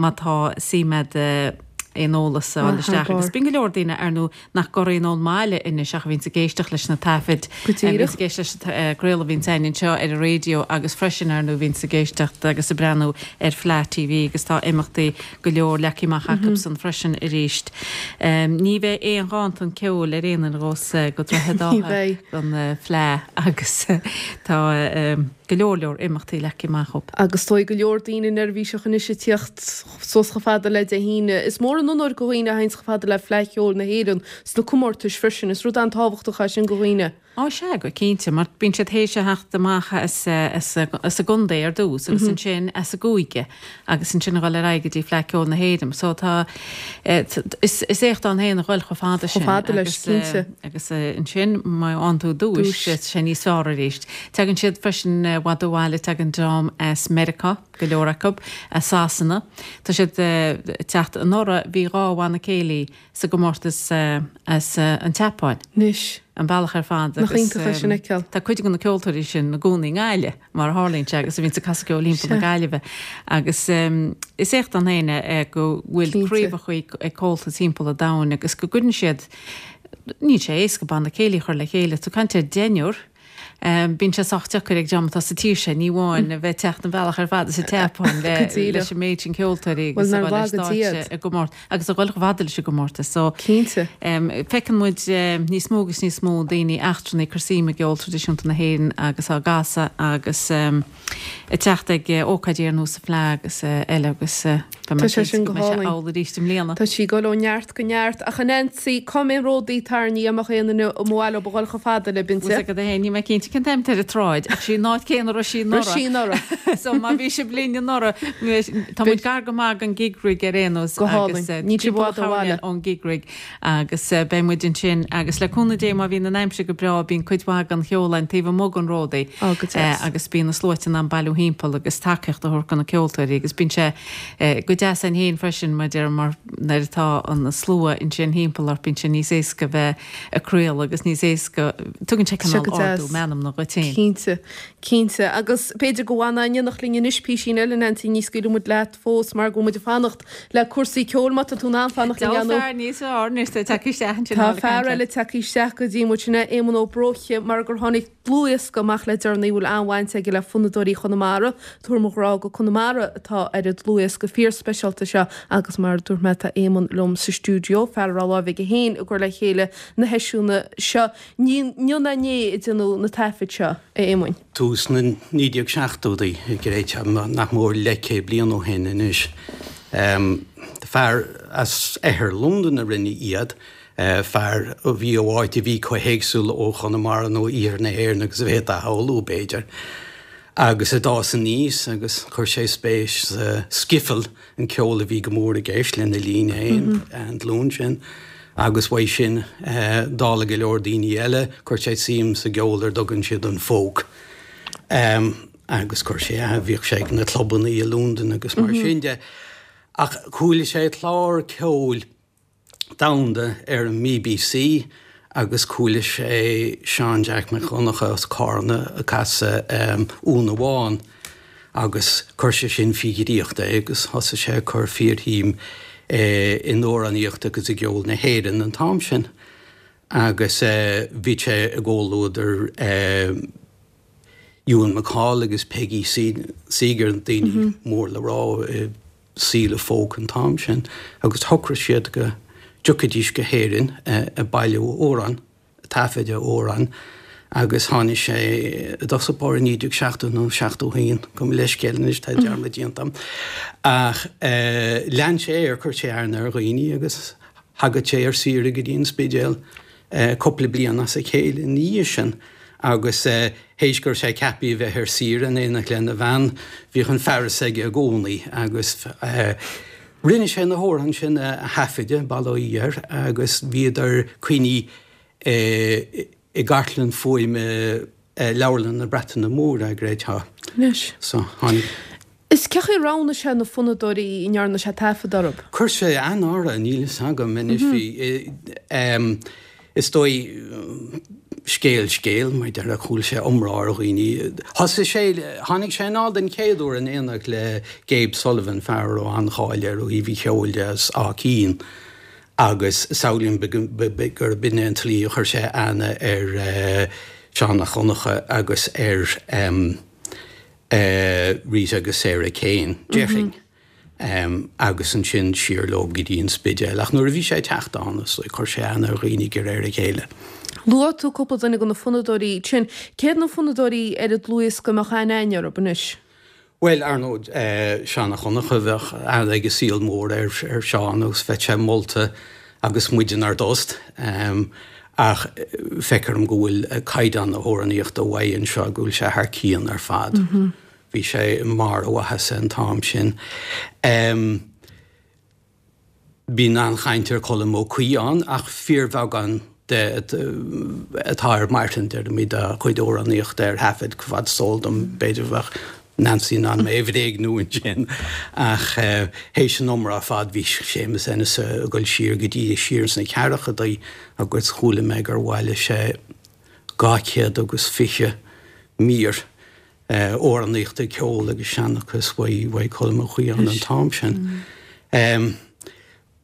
má tá suim agat aon eolas a fháil isteach. Agus bíonn go leor daoine, ar ndóigh, nach gcorraíonn ón mbaile anois ach a bhíonns ag éisteacht leis na taifid, Go díreach. a bhíonns ag éisteacht leis an gcraoladh a bhíonns againn anseo ar an raidió agus freisin, ar ndóigh, a bhíonns ag éisteacht agus ag breathnú ar Fleadh TV agus tá imeachtaí go leor leagtha amach acusan freisin arís. Ní bheidh aon ghanntan ceoil ar aon nós go Droichead Átha don Fleadh agus tá go leor leor imeachtaí leagtha amach acu. Agus is dóigh go leor daoine neirbhíseach anois ag tíocht suas chomh fada le Dé hAoine. Is mór an onóir go dhaoine a théanns chomh fada le Fleadh Cheoil na hÉireann sna comórtais freisin. Is rud an-tábhachtach é sin go dhaoine. Á sea, go cinnte, mar bíonn siad théis a theacht amach as as a gcontae ar dtús agus ansin as a gcúige agus ansin a dhul ar aghaidh go dtí Fleadh Ceoil na hÉireann. So tá is is éacht ann féin a dhul chomh fada sin. Chomh fada leis, cinnte. Agus ansin má fhaigheann tú duais, tá sé níos fearr arís. Tagann siad freisin i bhfad ó bhaile, tagann dream as Meiriceá. go leor acu, as Sasana. Tá siad ag teacht. Anuraidh bhí 2 bhanna céilí sa gcomórtas as an tSeapáin. Anois. An bealach ar fad Nach iontach é sin a fheiceáil. Tá cuid de na ceoltóirí sin ina gcónaí i nGaillimh, mar a tharlaíonn sé, agus a bhíonns ag casadh ceoil thimpeall na Gaillimhe. Agus is éacht ann féin é go bhfuil craobhacha ag Comhaltas thimpeall an domhain agus go gcuireann siad, níl sé éasca banna céilí a chur le chéile, tá tú ag caint ar deichniúr, Bíonn sé sách deacair ag dream atá sa tír seo, ní amháin a bheith ag teacht an bealach ar fad as an tSeapáin leis an méid sin ceoltóirí agus a dhul ar stáitse i gcomórtas agus a dhul chomh fada leis an gcomórtas. So, Cinnte. feiceann muid níos mó agus níos mó daoine eachtrannaigh ag cur suim i gceol traidisiúnta na hÉireann agus á gcasadh agus ag teacht ag ócáidí ar nós an Fleadh agus eile agus beidh mé Tá sé cinnte sin go go mbeidh sé hálainn. amhlaidh arís i mbliana. Tá sí ag dul ó neart go neart. Ach a Nancy, cá mbeidh an ródaí tarraingthe dá mbeadh aon duine ar mhaith leo a dhul chomh fada libh, Bhfuil a fhios agat féin, níl mé cinnte cén t-am atá ar an tsráid ach sí an áit céanna a raibh sí anuraidh. Raibh sí anuraidh. So má bhí sibh linn anuraidh, tá muid gar go maith don gig rig ar aon nós Go hálainn. agus Níl sibh i timpeall bhfad ó bhaile. ón gig rig agus beidh muid ansin agus le cúnamh Dé má bhíonn an aimsir go breá bíonn cuid mhaith den cheol ann taobh amuigh den ródaí Ó, go deas. agus bíonn na sluaite in ann bailiú thimpeall agus tacaíocht a thabhairt do na ceoltóirí agus bíonn sé go deas ann féin freisin mar deir mar nuair atá an slua ansin thimpeall ort bíonn sé níos éasca bheith ag craoladh agus níos éasca tugann sé Tá sé cineál go ardú deas. meanman. anamna dhuit féin. Cinnte. Cinnte. Agus b'fhéidir go bhfanfá in éineacht linn anois písín eile, Nancy, ní scaoilfidh muid leat fós mar go bhfuil muid ag fanacht le cúrsaí ceoil má tá tú in ann fanacht linn, ar ndóigh. Tá fear níos fearr anois tagtha isteach ansin. Tá fear eile tagtha isteach go dtí muid, sin é Éamonn Ó Bróithe, mar gur tháinig dlúthdhiosca amach le deireanaí a bhfuil an-bhaint aige le fonnadóirí Chonamara. Tabhair mo ghrá go Conamara atá ar an dlúthdhiosca fíorspeisialta seo agus mar a dúirt mé tá Éamonn liom sa stiúideo, fear a raibh láimh aige féin i gcur le chéile na heisiúna seo. Ní inniu ná inné a déanadh na taifid seo, a Éamoinn. Tús na 1970idí, gréite, nach mór leathchéad bliain ó shin anois. Fear as oirthear Londain a rinne iad, fear a bhí ó áit a bhí chomh héagsúil ó Chonamara nó iarthar na hÉireann agus a bhféadfá a shamhlú, b'fhéidir. Agus a d'fhás aníos agus chuir sé spéis sa skiffle, an ceol a bhí go mór i gceist lena linn féin, an ghlúin sin, agus uaidh sin, dála go leor daoine eile, chuir sé suim sa gceol ar dtugann siad an folk. Agus chuir sé, bhíodh sé ag na clubanna i Londain agus mar sin de. Ach chuala sé clár ceoil domhanda ar an mBBC agus chuala sé Seán Jack Mac Dhonncha as Cárna ag casadh Úna Bhán agus chuir sé sin faoi dhraíocht é agus thosaigh sé ag cur fíorshuim in amhránaíocht agus i gceol na hÉireann an t-am sin agus bhí sé i gcomhluadar Ewan MacColl agus Peggy Seeger, daoine mór le rá i saol an folk an t-am sin agus shocraigh siad go dtiocfaidís go hÉirinn ag bailiú amhrán, ag taifeadadh amhrán agus tháinig sé i dtosach báire i 1970 nó 71, gabh mo leithscéal anois tá dearmad déanta agam. Ach lean sé air, chuir sé aithne ar dhaoine agus thagadh sé ar saoire go dtí an Spidéal cúpla bliain as a chéile ina dhiaidh sin agus théis go raibh sé ceaptha a bheith ar saoire in éineacht lena bhean, bhíodh an fearas aige i gcónaí agus rinne sé na hamhráin sin a thaifeadadh, bail ó Dhia air, agus bhíodar coinnithe i gcartlann fuaime Leabharlann na Breataine Móire, gréitá. Anois. So, tháinig. Is cén chaoi a roghnaigh sé na fonnadóirí a ndearna sé taifead orthu? Chuir sé aithne orthu, níl fhios agam anois. Bhí, is dóigh, scéal scéil, mar a déarfá, chuala sé iomrá ar dhaoine. Thosaigh sé, tháinig sé anall den chéad uair in éineacht le Gabe Sullivan, fear a raibh an-cháil air ó thaobh an cheoil de as Áth Cinn agus samhlaím gurb in é an tslí a chuir sé aithne ar Seán Mac Dhonncha agus ar Rita agus Sarah Kane, déarfainn, agus ansin siar leo go dtí an Spidéal. Ach nuair a bhí sé ag teacht ann, is dóigh, chuir sé aithne ar dhaoine de réir a chéile. Luaigh tú cúpla duine de na fonnadóirí sin. Cé hiad na fonnadóirí ar an dlúthdhiosca a mbeadh aithne againn orthu anois? Bhuel, ar ndóigh, Seán Mac Dhonncha, bheadh aithne ag an saol mór ar Sheán agus bheadh sé molta agus muid inár dtost. Ach feictear dom go bhfuil caighdeán na hamhránaíochta uaidh anseo, go bhfuil sé thar cionn ar fad. Bhí sé i mbarr a mhaitheasa an t-am sin. Bíonn an-chaint ar Colm Ó Caodháin ach fíorbheagán de atá ar marthain, deirimid, dá chuid amhránaíochta ar thaifead, fad is eol dom. B'fhéidir bheadh Nancy in ann mé a bhréagnú ansin. Ach théis an iomrá ar fad bhí Séamus Ennis ag dul siar go dtí siar sna ceathrachaidí agus chuala mé gur bhailigh sé 220 mír amhránaíochta, ceol agus seanchas uaidh Colm Ó Caodháin an t-am sin.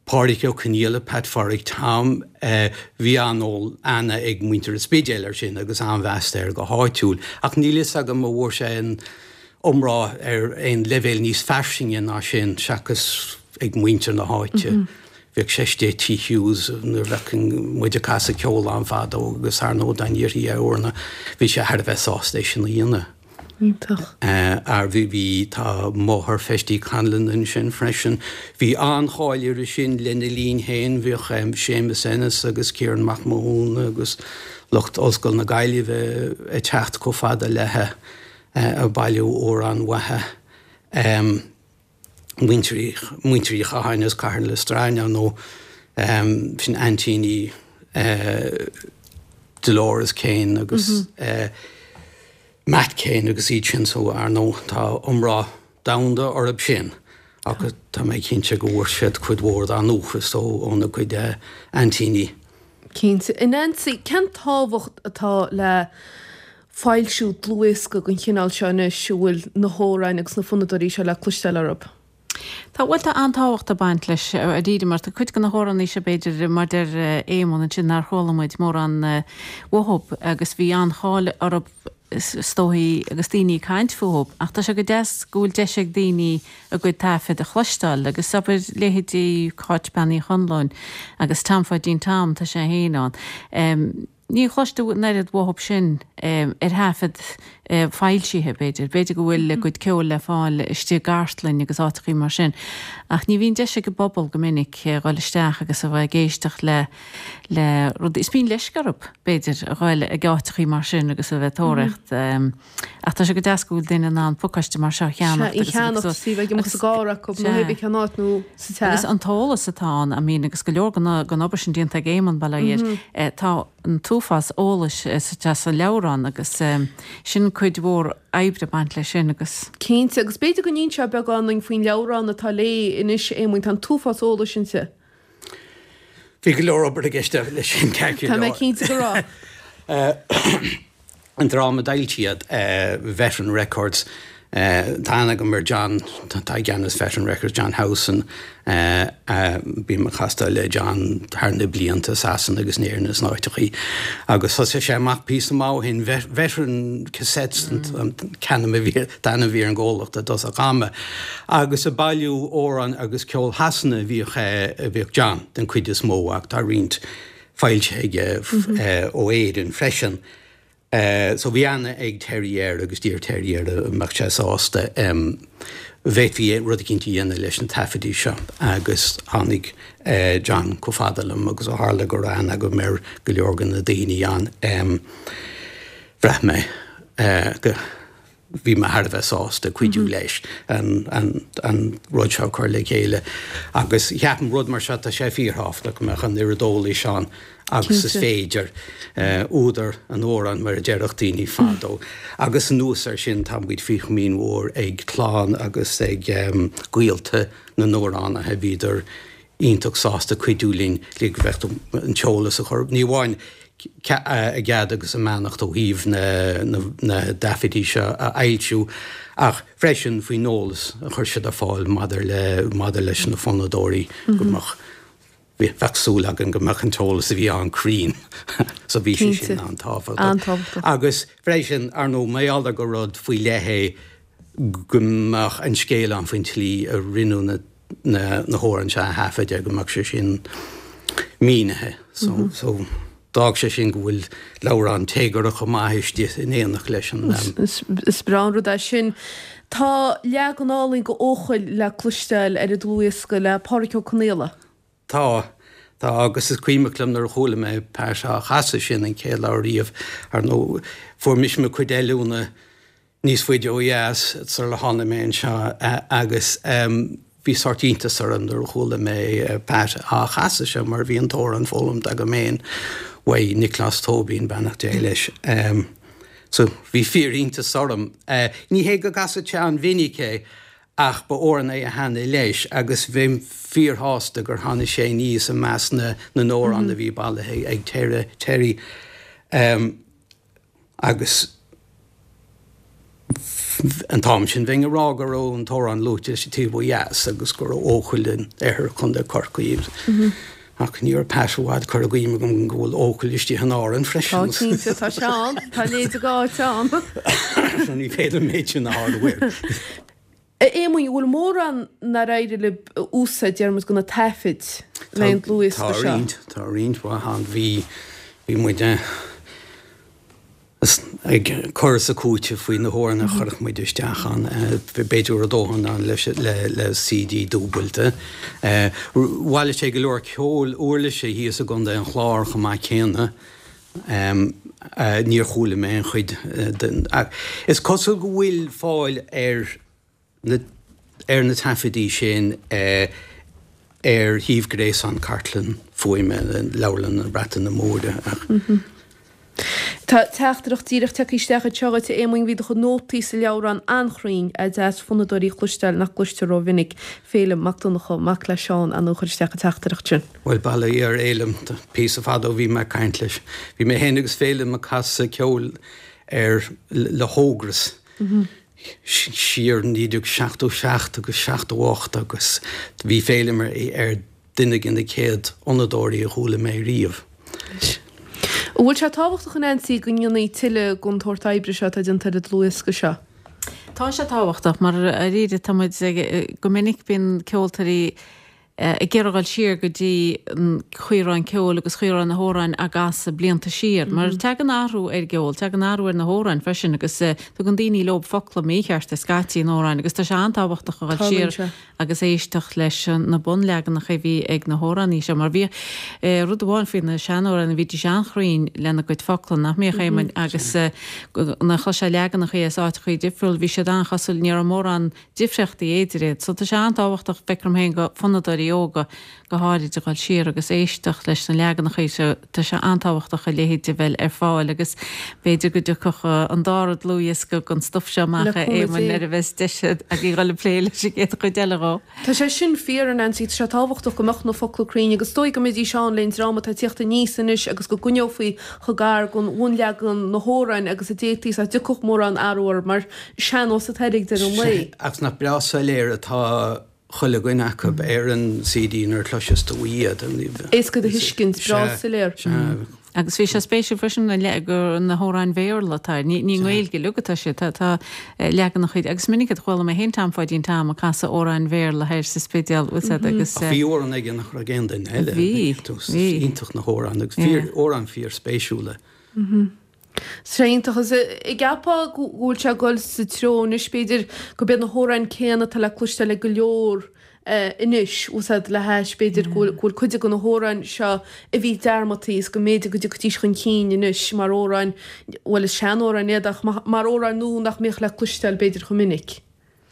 Pádraig Ó Conghaile, Pat Phádraig Tom, bhí an-aithne ag muintir an Spidéil air sin agus an-mheas air go háitiúil, ach níl fhios agam an bhfuair sé an iomrá ar aon leibhéal níos fairsinge ná sin, seachas ag muintir na háite. Bhíodh sé istigh i Tigh Hughes nuair a bheadh muid ag casadh ceoil ann fadó agus ar ndóigh dá n-iarrfaí é uaireanta bhí sé thar a bheith sásta é sin a dhéanamh. Iontach. Ar bhí, bhí, tá máthair Festy Conlon ansin freisin. Bhí an-cháil uirthi sin lena linn féin, bhíodh Séamus Ennis agus Ciarán Mac Mathúna agus lucht Ollscoil na Gaillimhe ag teacht chomh fada léithe ag bailiú amhrán uaithi. Muintir, Muintir Uí Chatháin as Cathair na Stroighne ar ndóigh, sin aintíní Dolores Keane agus Matt Keane agus iad sin so ar ndóigh tá iomrá domhanda orthu sin ach tá mé cinnte go bhfuair siad cuid mhór dá ndúchas óna gcuid aintíní. Cinnte. A Nancy, cén tábhacht atá le. foilsiú dlúthdhiosca den chineál seo anois a bhfuil na hamhráin agus na fonnadóirí seo le cloisteáil orthu. Tá, bhuel tá an-tábhacht ag baint leis dáiríre mar tá cuid de na hamhránaí seo b'fhéidir mar deir Éamonn ansin nár chuala muid mórán uathub agus bhí an-cháil orthub is dóigh agus daoine ag caint fúthub ach tá sé go deas go bhfuil deis ag daoine a gcuid taifead a chloisteáil agus abair leithéidí Cáit Bean Uí Chonluain agus Tom Pháidín Tom tá sé féin ann. Ní chloistear an oiread uathub sin ar thaifead foilsithe, b'fhéidir. B'fhéidir go bhfuil a gcuid ceoil le fáil istigh i gcartlainn agus áiteachaí mar sin. Ach ní bhíonn deis ag an bpobal go minic a dhul isteach agus a bheith ag éisteacht le le rudaí. Is bíonn leisce orthu, b'fhéidir, a dhul ag áiteachaí mar sin agus a bheith ag tóraíocht. Ach tá sé go deas go bhfuil duine in ann pacáiste mar seo a cheannacht agus a cheannacht is í bheith ag imeacht sa gcarr acu nó hé bith cén áit nó sa teach. Agus an t-eolas atá ann, I mean, agus go leor den obair sin déanta ag Éamonn, bail ó Dhia air, tá an t-uafás eolais sa sa leabhrán agus sin cuid mhór oibre ag baint leis sin agus. Cinnte, agus b'fhéidir go n-inseofá beagán dúinn faoin leabhrán atá léi anois, Éamoinn, tá an t-uafás eolais inti. Bhí go leor obair i gceist leis sin, ceart go leor. Tá mé cinnte go raibh. An dream a d'fhoilsigh iad, Veteran Records, tá aithne agam ar John, atá i gceannas Veteran Records, John Howson, bím ag castáil le John thar na blianta i Sasana agus in Éirinn is in áiteachaí agus thosaigh sé amach píosa maith ó shin, Veteran Cassettes an t-ainm a bhí ar an gcomhlacht i dtosach ama agus ag bailiú amhrán agus ceol Shasana a bhíodh a bhíodh John den chuid is mó ach tá roinnt foilsithe aige ó Éirinn freisin. So bhí aithne ag Terry air agus d'iarr Terry air an mbeadh sé sásta bhféadfaí rud eicínt a dhéanamh leis na taifidí seo agus tháinig John chomh fada liom agus ó tharla go raibh aithne agam ar go leor de na daoine ann bhraith mé go bhí mé thar a bheith sásta cuidiú leis an rud seo a chur le chéile agus ceapaim rud mar seo tá sé fíorthábhachtach go mbeadh an oiread eolais ann agus is féidir. Údar an amhráin mar a déarfadh daoine fadó. Agus anuas air sin tá muid faoi chomaoin mhór ag clann agus ag gaolta na n-amhránaithe, bhíodar iontach sásta cuidiú linn le go bheadh an t-eolas a chur, ní amháin a gcead agus a mbeannacht ó thaobh na dtaifidí seo a fhoilsiú ach freisin faoin eolas a chuir siad ar fáil maidir le maidir leis na fonnadóirí go mbeadh bheadh súil againn go mbeadh an t-eolas a bhí ann cruinn. So bhí sé sin an-tábhachtach. Agus freisin, ar ndóigh, mar gheall ar gur rud faoi leith é go mbeadh an scéal ann faoin tslí a rinneadh na na hamhráin seo a thaifeadadh go mbeadh sé sin mínithe. So, so d'fhág sé sin go bhfuil leabhrán téagartha chomh maith istigh in éineacht leis an. Is breá an rud é sin. Tá leagan álainn de Eochaill le cloisteáil ar an dlúthdhiosca le Pádraic Ó Conaola. Tá. Tá, agus is cuimhneach liom nuair a chuala mé Pat á chasadh sin an chéad lá riamh, ar ndóigh, fuair mise mo chuid oiliúna níos faide ó dheas sula tháinig mé anseo agus bhí sórt iontas orm nuair a chuala mé Pat á chasadh seo mar bhí an t-amhrán foghlamta agam féin uaidh Nioclás Tóibín, beannacht Dé leis. So bhí fíor-iontas orm. Ní hé go gcasadh sé an-mhinic é ach ba amhrán é a thaitnigh leis agus bheinn fíorshásta gur tháinig sé aníos i measc na n-amhrán a bhí bailithe ag Terry. Agus an t-am sin bheinn ag rá go raibh an t-amhrán luaite leis an taobh ó dheas agus go raibh Eochaill in oirthear Chontae Chorcaí. Ach ní raibh Pat i bhfad curtha i gcuimhne agam go bhfuil Eochaill istigh in Árainn freisin. Tá cinnte, tá sé ann. Tá a leithéid d'áit ann. So ní féidir an méid sin a shárú air. A Éamoinn, an bhfuil mórán nár éirigh libh a úsáid, déarfaidh muid, de na taifid le an dlúthdhiosca seo? Tá roinnt, tá roinnt mhaith ann. Bhí, bhí muid ag cur is ag cúiteamh faoi na hamhráin a chuirfeadh muid isteach ann. B'fhéidir go raibh dóthain ann leis, le, le CD dúbailte. Bhailigh sé go leor ceoil uirlise thíos i gContae an Chláir chomh maith céanna. Níor chuala mé an chuid den. Is cosúil go bhfuil fáil ar na ar na taifidí sin ar shuíomh gréasáin Cartlann Fuaime Leabharlann na Breataine Móire ach. Tá teachtaireacht díreach tagtha isteach anseo dhuit, a Éamoinn. Bhí do chuid nótaí sa leabhrán an-chruinn, deas fonnadóirí a chloisteáil nach gcloistear rómhinic. Féilim Mac Donncha, mac le Seán, ar ndóigh a chuir isteach an teachtaireacht sin. Bhuel, bail ó Dhia ar Fhéilim, píosa fada ó bhí mé ag caint leis. Bhí mé féin agus Féilim ag casadh ceoil ar le hÓgras siar 1977 agus 78 agus bhí Féilim ar duine de na céad fhonnadóirí a chuala mé riamh. An bhfuil sé tábhachtach a Neansaí go ndéanfaí tuilleadh den tsórt oibre seo atá déanta ar an dlúthdhiosca seo? Tá sé tábhachtach mar dáiríre tá muid ag, go minic bíonn ceoltóirí ag iarraidh dhul siar go dtí an chaoi a raibh an ceol agus chaoi a raibh na hamhráin á gcasadh blianta siar mar tagann athrú ar an gceol, tagann athrú ar na hamhráin freisin agus tugann daoine leo focla míchearta scaití in amhráin agus tá sé an-tábhachtach a dhul siar agus éisteacht leis na bunleaganacha a bhí ag na hamhránaí seo mar bhí rud amháin faoi na seanamhránaí bhídís an-chruinn lena gcuid focla nach mbíodh Éamoinn agus nuair a chloisfeá leaganacha as áiteachaí difriúil bhí siad an-chosúil ní raibh mórán difríochtaí idir iad. So tá sé an-tábhachtach, feictear dom féin, do fonnadóirí óga go háirid a dhul siar agus éisteacht leis na leaganacha seo. Tá sé an-tábhachtach a leithéid a bheith ar fáil agus b'fhéidir go dtiocfadh an dara dlúthdhiosca den stuif seo amach, a Éamoinn, nuair a bheas deis agaibh dhul ag plé leis an gcéad chuid eile dhó. Tá sé sin fíor, a Neansaí, tá sé tábhachtach go mbeadh na focla cruinn agus is dóigh go mbeidís ann leis an dream atá ag tíocht aníos anois agus go gcoinneofaí chomh gar don bhunleagan na hamhráin agus a d'fhéadfaí is nach dtiocfadh mórán athrú orthu mar sean-nós atá ag deireadh an lae. Ach nach breá soiléir atá chuile dhuine acu ar an CD nuair a chloiseas tú iad. Éasca do thuiscint, breá soiléir. Sea. Agus bhí sé spéisiúil freisin gur na hamhráin Bhéarla atá air. Ní i nGaeilge uilig atá siad. Tá leaganacha, agus is minic a chuala mé féin Tom Pháidín Tom ag casadh amhráin Bhéarla thoir sa Spidéal, bhfuil 's a'd, agus. Ach bhí amhráin aige nach raibh ag aon duine eile. Bhí, bhí. Iontach na hamhráin agus fíor, amhráin fíor spéisiúla. Sé iontach. Is an gceapfá go bhfuil sé ag dul sa treo anois, b'fhéidir, gurb iad na hamhráin céanna atá le cloisteáil ag go leor anois, bhfuil 's a'd, le hais, b'fhéidir, go bhfuil cuid de na hamhráin seo a bhí dearmadtaí is go mb'fhéidir go dtiocfaidís chun cinn anois mar amhráin, bhuel is seanamhráin iad ach mar amhráin nua nach mbíodh le cloisteáil b'fhéidir chomh minic.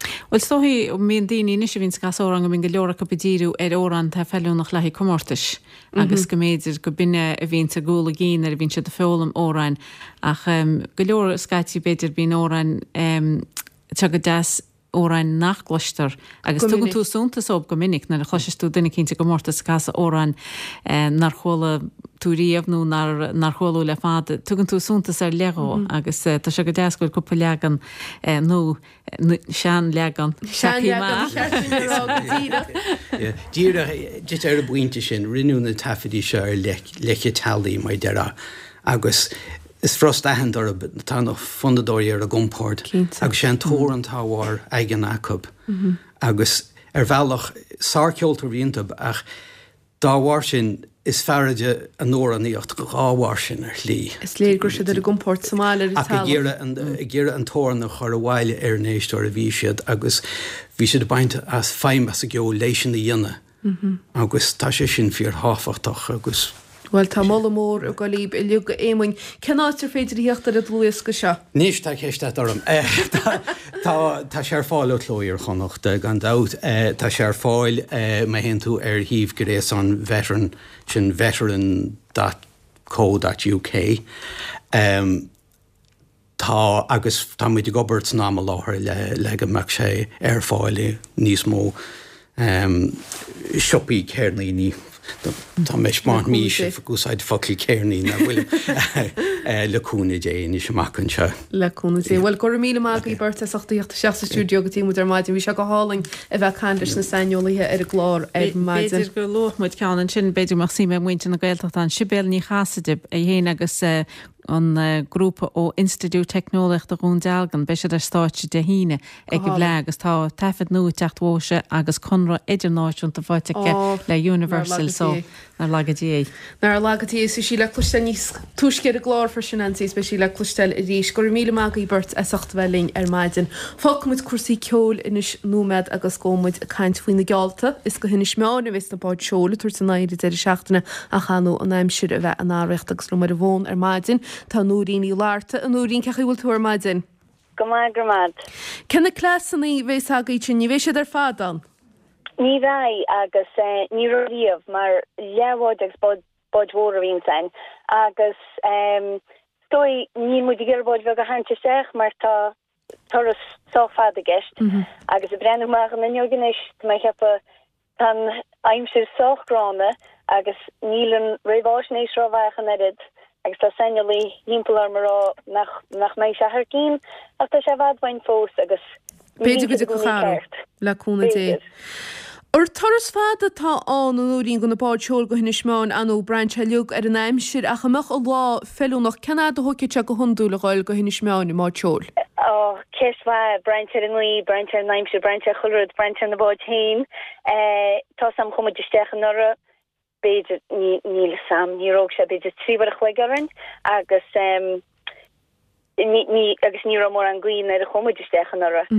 Bhuel, is dóichí, mbíonn daoine anois a bhíonns ag casadh amhrán go mbíonn go leor acu ag díriú ar amhráin atá feiliúnach le haghaidh comórtais agus go mb'fhéidir go b'in é a bhíonns i gcúl a gcinn nuair a bhíonn siad ag foghlaim amhráin ach go leor scaití b'fhéidir bíonn amhráin tá go deas amhráin nach gcloistear agus tugann tú suntas dóibh go minic nuair a chloiseas tú duine eicínt i gcomórtas ag casadh amhráin nár chuala tú riamh nó nár nár chuala le fada, tugann tú suntas ar leith dhó agus tá sé go deas go bhfuil cúpla leagan nó seanleagan tagtha amach. Seanleagan, a rá go díreach. Díreach, just ar an bpointe sin, rinneadh na taifeadaí seo ar leice teallaigh, mar a déarfá, agus is furast aithint orthu, tá na fonnadóirí ar a gcompord agus sé an t-amhrán atá á bharr aigean acu agus ar bhealach, sárcheoltóirí iontu ach Dá bharr sin, is fearrde a n-amhránaíocht dhá bharr sin, ar shlí. Is léir go raibh siad ar a gcompord sa mbaile ar an Ach ag teallach. iarraidh ag iarraidh an t-amhrán a chur abhaile ar an éisteoir a bhí siad agus bhí siad ag baint as feidhm as an gceol leis sin a dhéanamh agus tá sé sin fíorthábhachtach agus. Bhuel, tá moladh mór ag dul daoibh uilig, a Éamoinn. Cén áit ar féidir a theacht ar an dlúthdhiosca seo? Anois, tá ceist agat orm. Tá, tá sé ar fáil ó Chló Iar-Chonnacht, gan dabht. Tá sé ar fáil, má théann tú ar shuíomh gréasáin Veteran, sin veteran dot co dot uk. Tá, agus tá muid ag obair san am i láthair le le go mbeadh sé ar fáil i níos mó siopaí ceirníní. Tá mé ag mise ag úsáid focal ceirnín nach bhfuil le cúnamh Dé anois amach anseo. Le cúnamh Dé. Bhuel, go raibh míle maith agaibh beirt as ucht a theacht isteach sa stiúideo go dtí muid ar maidin. Bhí sé go hálainn a bheith ag caint leis na saineolaithe ar an gclár ar maidin. B'fhéidir go luafadh muid ceann ansin, b'fhéidir go mbeadh suim ag muintir na Gaeltachta ann, Sibéal Ní Chasaide, í féin agus an grúpa ó Institiúid Teicneolaíochta Dhún Dealgan. Beidh siad ar stáitse Dé hAoine ag an bhFleadh agus tá taifead nua ag teacht uaithe agus conradh idirnáisiúnta faighte aici le Universal so nár laga Dia í. Nár laga Dia í. Is bhí sí le cloisteáil níos túisce ar an gclár freisin Neansaí is beidh sí le cloisteáil arís. Go raibh míle maith agaibh beirt as ucht a bheith linn ar maidin. Fágfaidh muid cúrsaí ceoil anois nóiméad agus gabhfaidh muid ag caint faoi na geallta. Is go hInis Meáin a bheas na báid seoil ag tabhairt a n-aghaidh ar an deireadh seachtaine ach ar ndóigh an aimsir a bheith in arracht agus liom ar an bhfón ar maidin tá Nóirín Ní Fhlatharta. A Nóirín, cén chaoi a bhfuil tú ar maidin? Go maith, go raibh maith agat. Cé na cleasanna a bheas agaibh sin? Ní bheidh siad ar fad ann? Ní bheidh agus ní raibh riamh mar leathbhád agus bád, báid mhóra a bhíonns ann agus is dóigh níl muid ag iarraidh báid bheag a tharraingt isteach mar tá turas sách fada i gceist agus ag breathnú amach an fhuinneog anois tá mé ag ceapadh Tá an aimsir sách gránna agus níl an réamháisnéis rómhaith ach an oiread. Agus tá saineolaí thimpeall orm ag rá nach nach mbeidh sé thar cinn ach tá sé i bhfad uainn fós agus ní B'fhéidir bhíonn go siad i dtiocfadh gcónaí athrú, ceart. le cúnamh Dé. B'fhéidir. Ar turas fada atá ann, a Nóirín, go na báid seoil go hInis Meáin, ar ndóigh, braitheann sé uilig ar an aimsir, ach an mbeadh an lá feiliúnach, cén fhad a thógfadh sé go hiondúil a dhul go hInis Meáin i mbád seoil? Ó, ceist mhaith. Braitheann sé ar an ngaoth, braitheann sé ar an aimsir, braitheann sé ar chuile rud, braitheann sé ar na báid féin. Tá's a'm chuaigh muid isteach anuraidh, b'fhéidir, níl 'fhios a'm, ní raibh sé b'fhéidir 3 uair a chloig orainn agus ní, ní, agus ní raibh mórán gaoth nuair a chuaigh muid isteach anuraidh.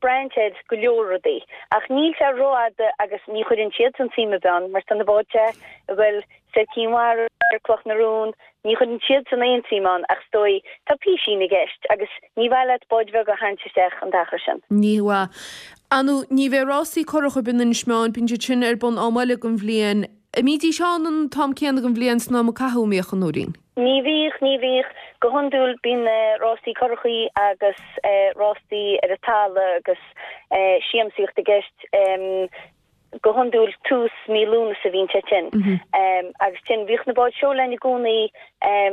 Braitheann sé ar go leor rudaí. Ach níl sé rófhada agus ní chuireann siadsan suim ar bith ann mar tá na báid ag goil soir Cinn Mhara, Cloch na Rún, ní chuireann siadsan aon tsuim ann ach is dóigh tá písín i gceist agus ní mhaith leat báid bheag a tharraingt isteach an t-achar sin. Ní mhaith. Ar ndóigh, ní bheidh rásaí curach ar bith in Inis Meáin, bíonn siad sin ar bun am eile den bhliain. An mbídís ann an t-am céanna den bhliain san am a caitheadh a mbíodh, a Nóirín? Ní bhíodh, ní bhíodh. Go hiondúil bíonn rásaí curachaí agus rásaí ar an talamh agus siamsaíocht i gceist. Go hiondúil tús mí Lúnasa a bhíonn sé sin. Agus sin, bhíodh na báid seoil ann i gcónaí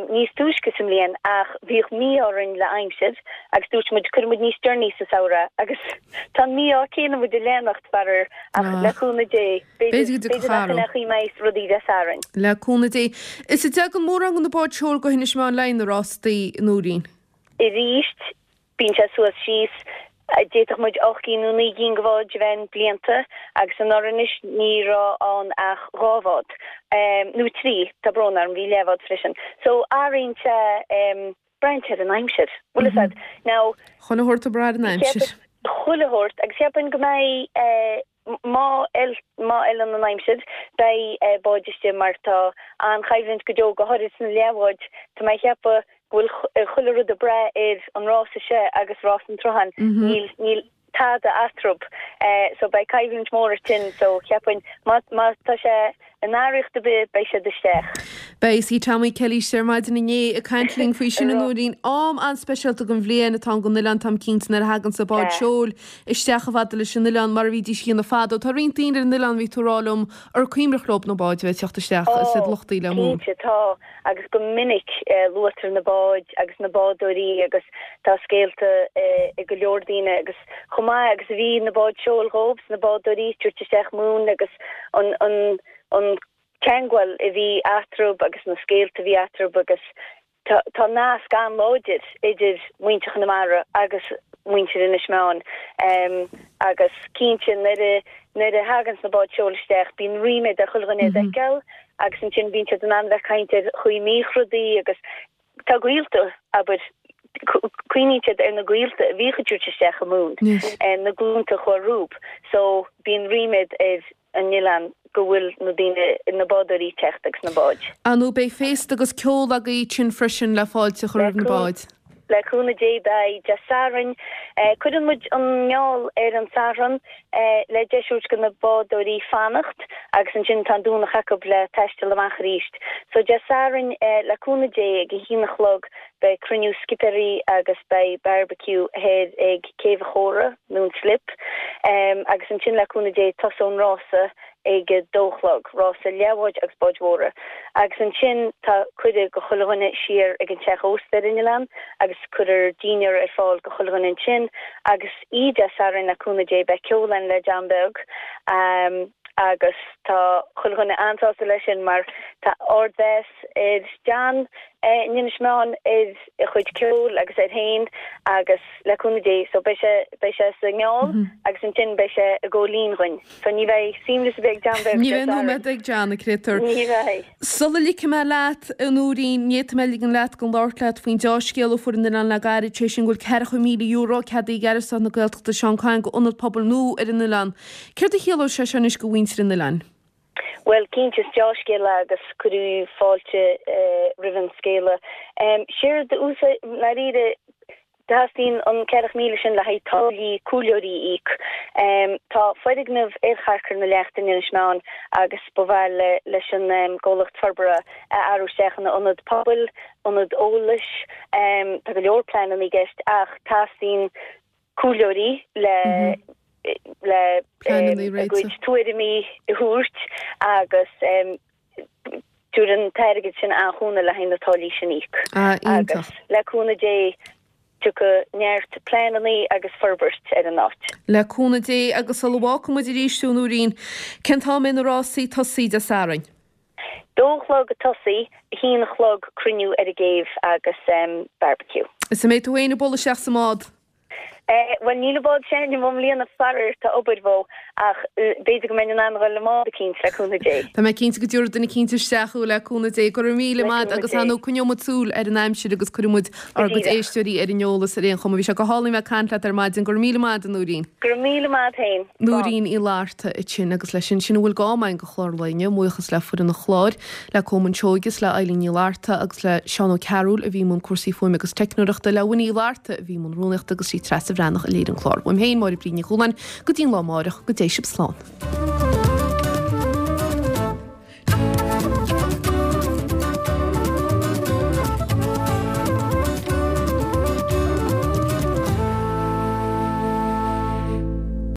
níos túisce sa mbliain ach bhíodh mí-ádh orainn le aimsir agus dúirt muid cuirfidh muid níos deireanaí sa samhradh agus tá an mí-ádh céanna muid ag leanacht, faraor, ach le cúnamh Dé, b'fhéidir, b'fhéidir nach in é an chaoi a mbeidh rudaí Dé Sathairn. Le cúnamh Dé. Is an dtagann mórán de na báid seoil go hInis Meáin le haghaidh na rástaí, a Nóirín? Arís, Bíonn sé suas síos. D'fhéadfadh muid 8 gcinn nó 9 gcinn de bháid a bheith ann blianta agus anuraidh anois ní raibh ann ach 2 bhád. Nó 3, tá brón orm, bhí leathbhád freisin. So athraíonn sé, braitheann sé ar an aimsir. Bhfuil fhios a'd. Now. Chuile shórt ag brath ar an aimsir. Chuile shórt agus cheapfainn go mbeidh Má fheileann an aimsir, beidh báid istigh mar tá an-choimhlint go deo, go háirid sna leathbháid. Tá mé ag ceapadh go bhfuil chuile rud ag brath ar an rása seo agus rás an tsrutháin. Níl, níl tada eatarthu. So beidh coimhlint mhór ansin. So cheapfainn má, má tá sé In araíocht ar bith, beidh siad isteach. Beidh. Bhí Tommy Kelly istigh ar maidin inné ag caint linn faoi sin, a Nóirín. Am an-speisialta den bhliain atá ann don oileán, táim cinnte, nuair a thaganns na báid seoil isteach chomh fada leis an oileán mar a bhídís a dhéanamh fadó. Tá roinnt daoine ar an oileán, bhí tú ag rá liom, ar cuimhneach leo na báid a bheith ag teacht isteach is iad luchtaí le Ó, cinnte, tá. Agus go minic luaitear na báid agus na bádóirí agus tá scéalta ag go leor daoine agus chomh maith agus a bhí na báid seoil dhóibh, na bádóirí, tabhairt isteach móin agus an an an ceangal a bhí eatarthu agus na scéalta a bhí eatarthu agus tá tá nasc an-láidir idir muintir Chonamara agus muintir Inis Meáin agus cinnte nuair a nuair a thaganns na báid seoil isteach bíonn ríméad ar chuile dhuine iad a fheiceáil agus ansin bíonn siad in ann bheith ag caint ar chaoi a mbíodh rudaí agus Tá gaolta, abair, cuimhníonn siad ar na gaolta a bhíodh ag tabhairt isteach an mhóin, na glúnta a chuaigh rompu. So, bíonn ríméad ar an oileán go bhfuil na daoine, na bádóirí ag teacht agus na báid. Ar ndóigh beidh féasta agus ceol agaibh ansin freisin le fáilte a chur roimh na báid. Le cúnamh Dé beidh Dé Sathairn. Cuireann muid an iall ar an Satharn le deis a thabhairt do na bádóirí fanacht agus ansin tá an Domhnach acu le taisteal amach arís. So Dé Sathairn le cúnamh Dé ag a haon a chlog beidh cruinniú scipéirí agus beidh barbecue thoir ag Céibh an Chóra nó an Slip agus ansin le cúnamh Dé tosóidh an rása ag a dó a chlog, rása leathbháid agus báid mhóra. Agus ansin tá cuireadh go chuile dhuine siar ag an teach ósta ar an oileán agus cuirfear dinnéar ar fáil go chuile dhuine ansin agus oíche Dé Sathairn le cúnamh Dé beidh ceol ann le John Beag agus tá chuile dhuine an-sásta leis sin mar tá ardmheas ar John in Inis Meáin ar a chuid ceoil agus air féin agus le cúnamh Dé so beidh sé beidh sé sa ngiall agus ansin beidh sé ag gabháil fhoinn dhuinn. So ní bheidh suaimhneas ar bith ag John Beag Ní bheidh nóiméad ag John, a chréatúir. Ní bheidh. Sula ligfidh mé leat, a Nóirín, ní fhéadfaidh mé ligean leat gan labhairt leat faoin deá-scéal a fuair an oileán le gairid, sé sin go bhfuil €40,000 ceadaithe ag Aire Stáit na Gaeltachta Seán Kyne go ionad pobail nua ar an oileán. Céard a chiallóidh sé seo anois go mhuintir an oileáin? Bhuel, cinnte, is deá-scéal é agus cuireadh fáilte roimh an scéala. Séard a úsáid, i ndáiríre, Teastaíonn an 40,000 sin le haghaidh táillí comhairleoirí a íoc. Tá foirgneamh ar Charcair na Leachta in Inis Meáin agus ba mhaith leis an gcomhlacht forbartha é a athrú isteach ina ionad pobail, ionad eolais. Tá go leor pleananna i gceist ach teastaíonn comhairleoirí le le a gcuid tuairimí a thabhairt agus. Tabharfaidh an t-airgead sin an-chúnamh le haghaidh na táillí sin a íoc. Ah, iontach. Agus le cúnamh Dé tiocfaidh neart pleananna agus forbairt ar an áit. Le cúnamh Dé agus sula bhfágfaidh muid arís thú, a Nóirín, cén t-am a mbeidh na rásaí ag tosaí Dé Sathairn? Dó a chlog ag tosaí, a haon a chlog cruinniú ar an gcéibh agus barbecue. Is an mbeidh tú féin ag bualadh isteach sa mbád? Bhuel, níl an bád s'againne i mbliana faraor, tá obair mhó, ach b'fhéidir go mbeinn in ann a dhul le mbád eicínt, le cúnamh Dé. Tá mé cinnte go dtiúrfaidh duine eicínt isteach thú, le cúnamh Dé. Go raibh míle maith agus ar ndóigh coinneoidh muid súil ar an aimsir agus cuirfidh muid ár gcuid éisteoirí ar an eolas ar aon chuma. Bhí sé go hálainn bheith ag caint leat ar maidin. Go raibh míle maith, a Nóirín. Go raibh míle maith féin. Slán. Nóirín Uí Fhlatharta ansin agus leis sin, sin a bhfuil d'am againn do chlár an lae inniu. Buíochas le foireann an chláir. le Colmán Seoighe is le Eilín Ní Fhlatharta agus le Seán Ó Cearúil a bhí i mbun cúrsaí fuaime agus teicneoireachta, le Winnie Uí Fhlatharta a bhí i mbun rúnaíochta agus sí Treasa Bhreathnach a léirigh an clár. Uaim féin, Máire Bríd Ní Chualáin, go dtí an lá amáireach, go dté sibh slán.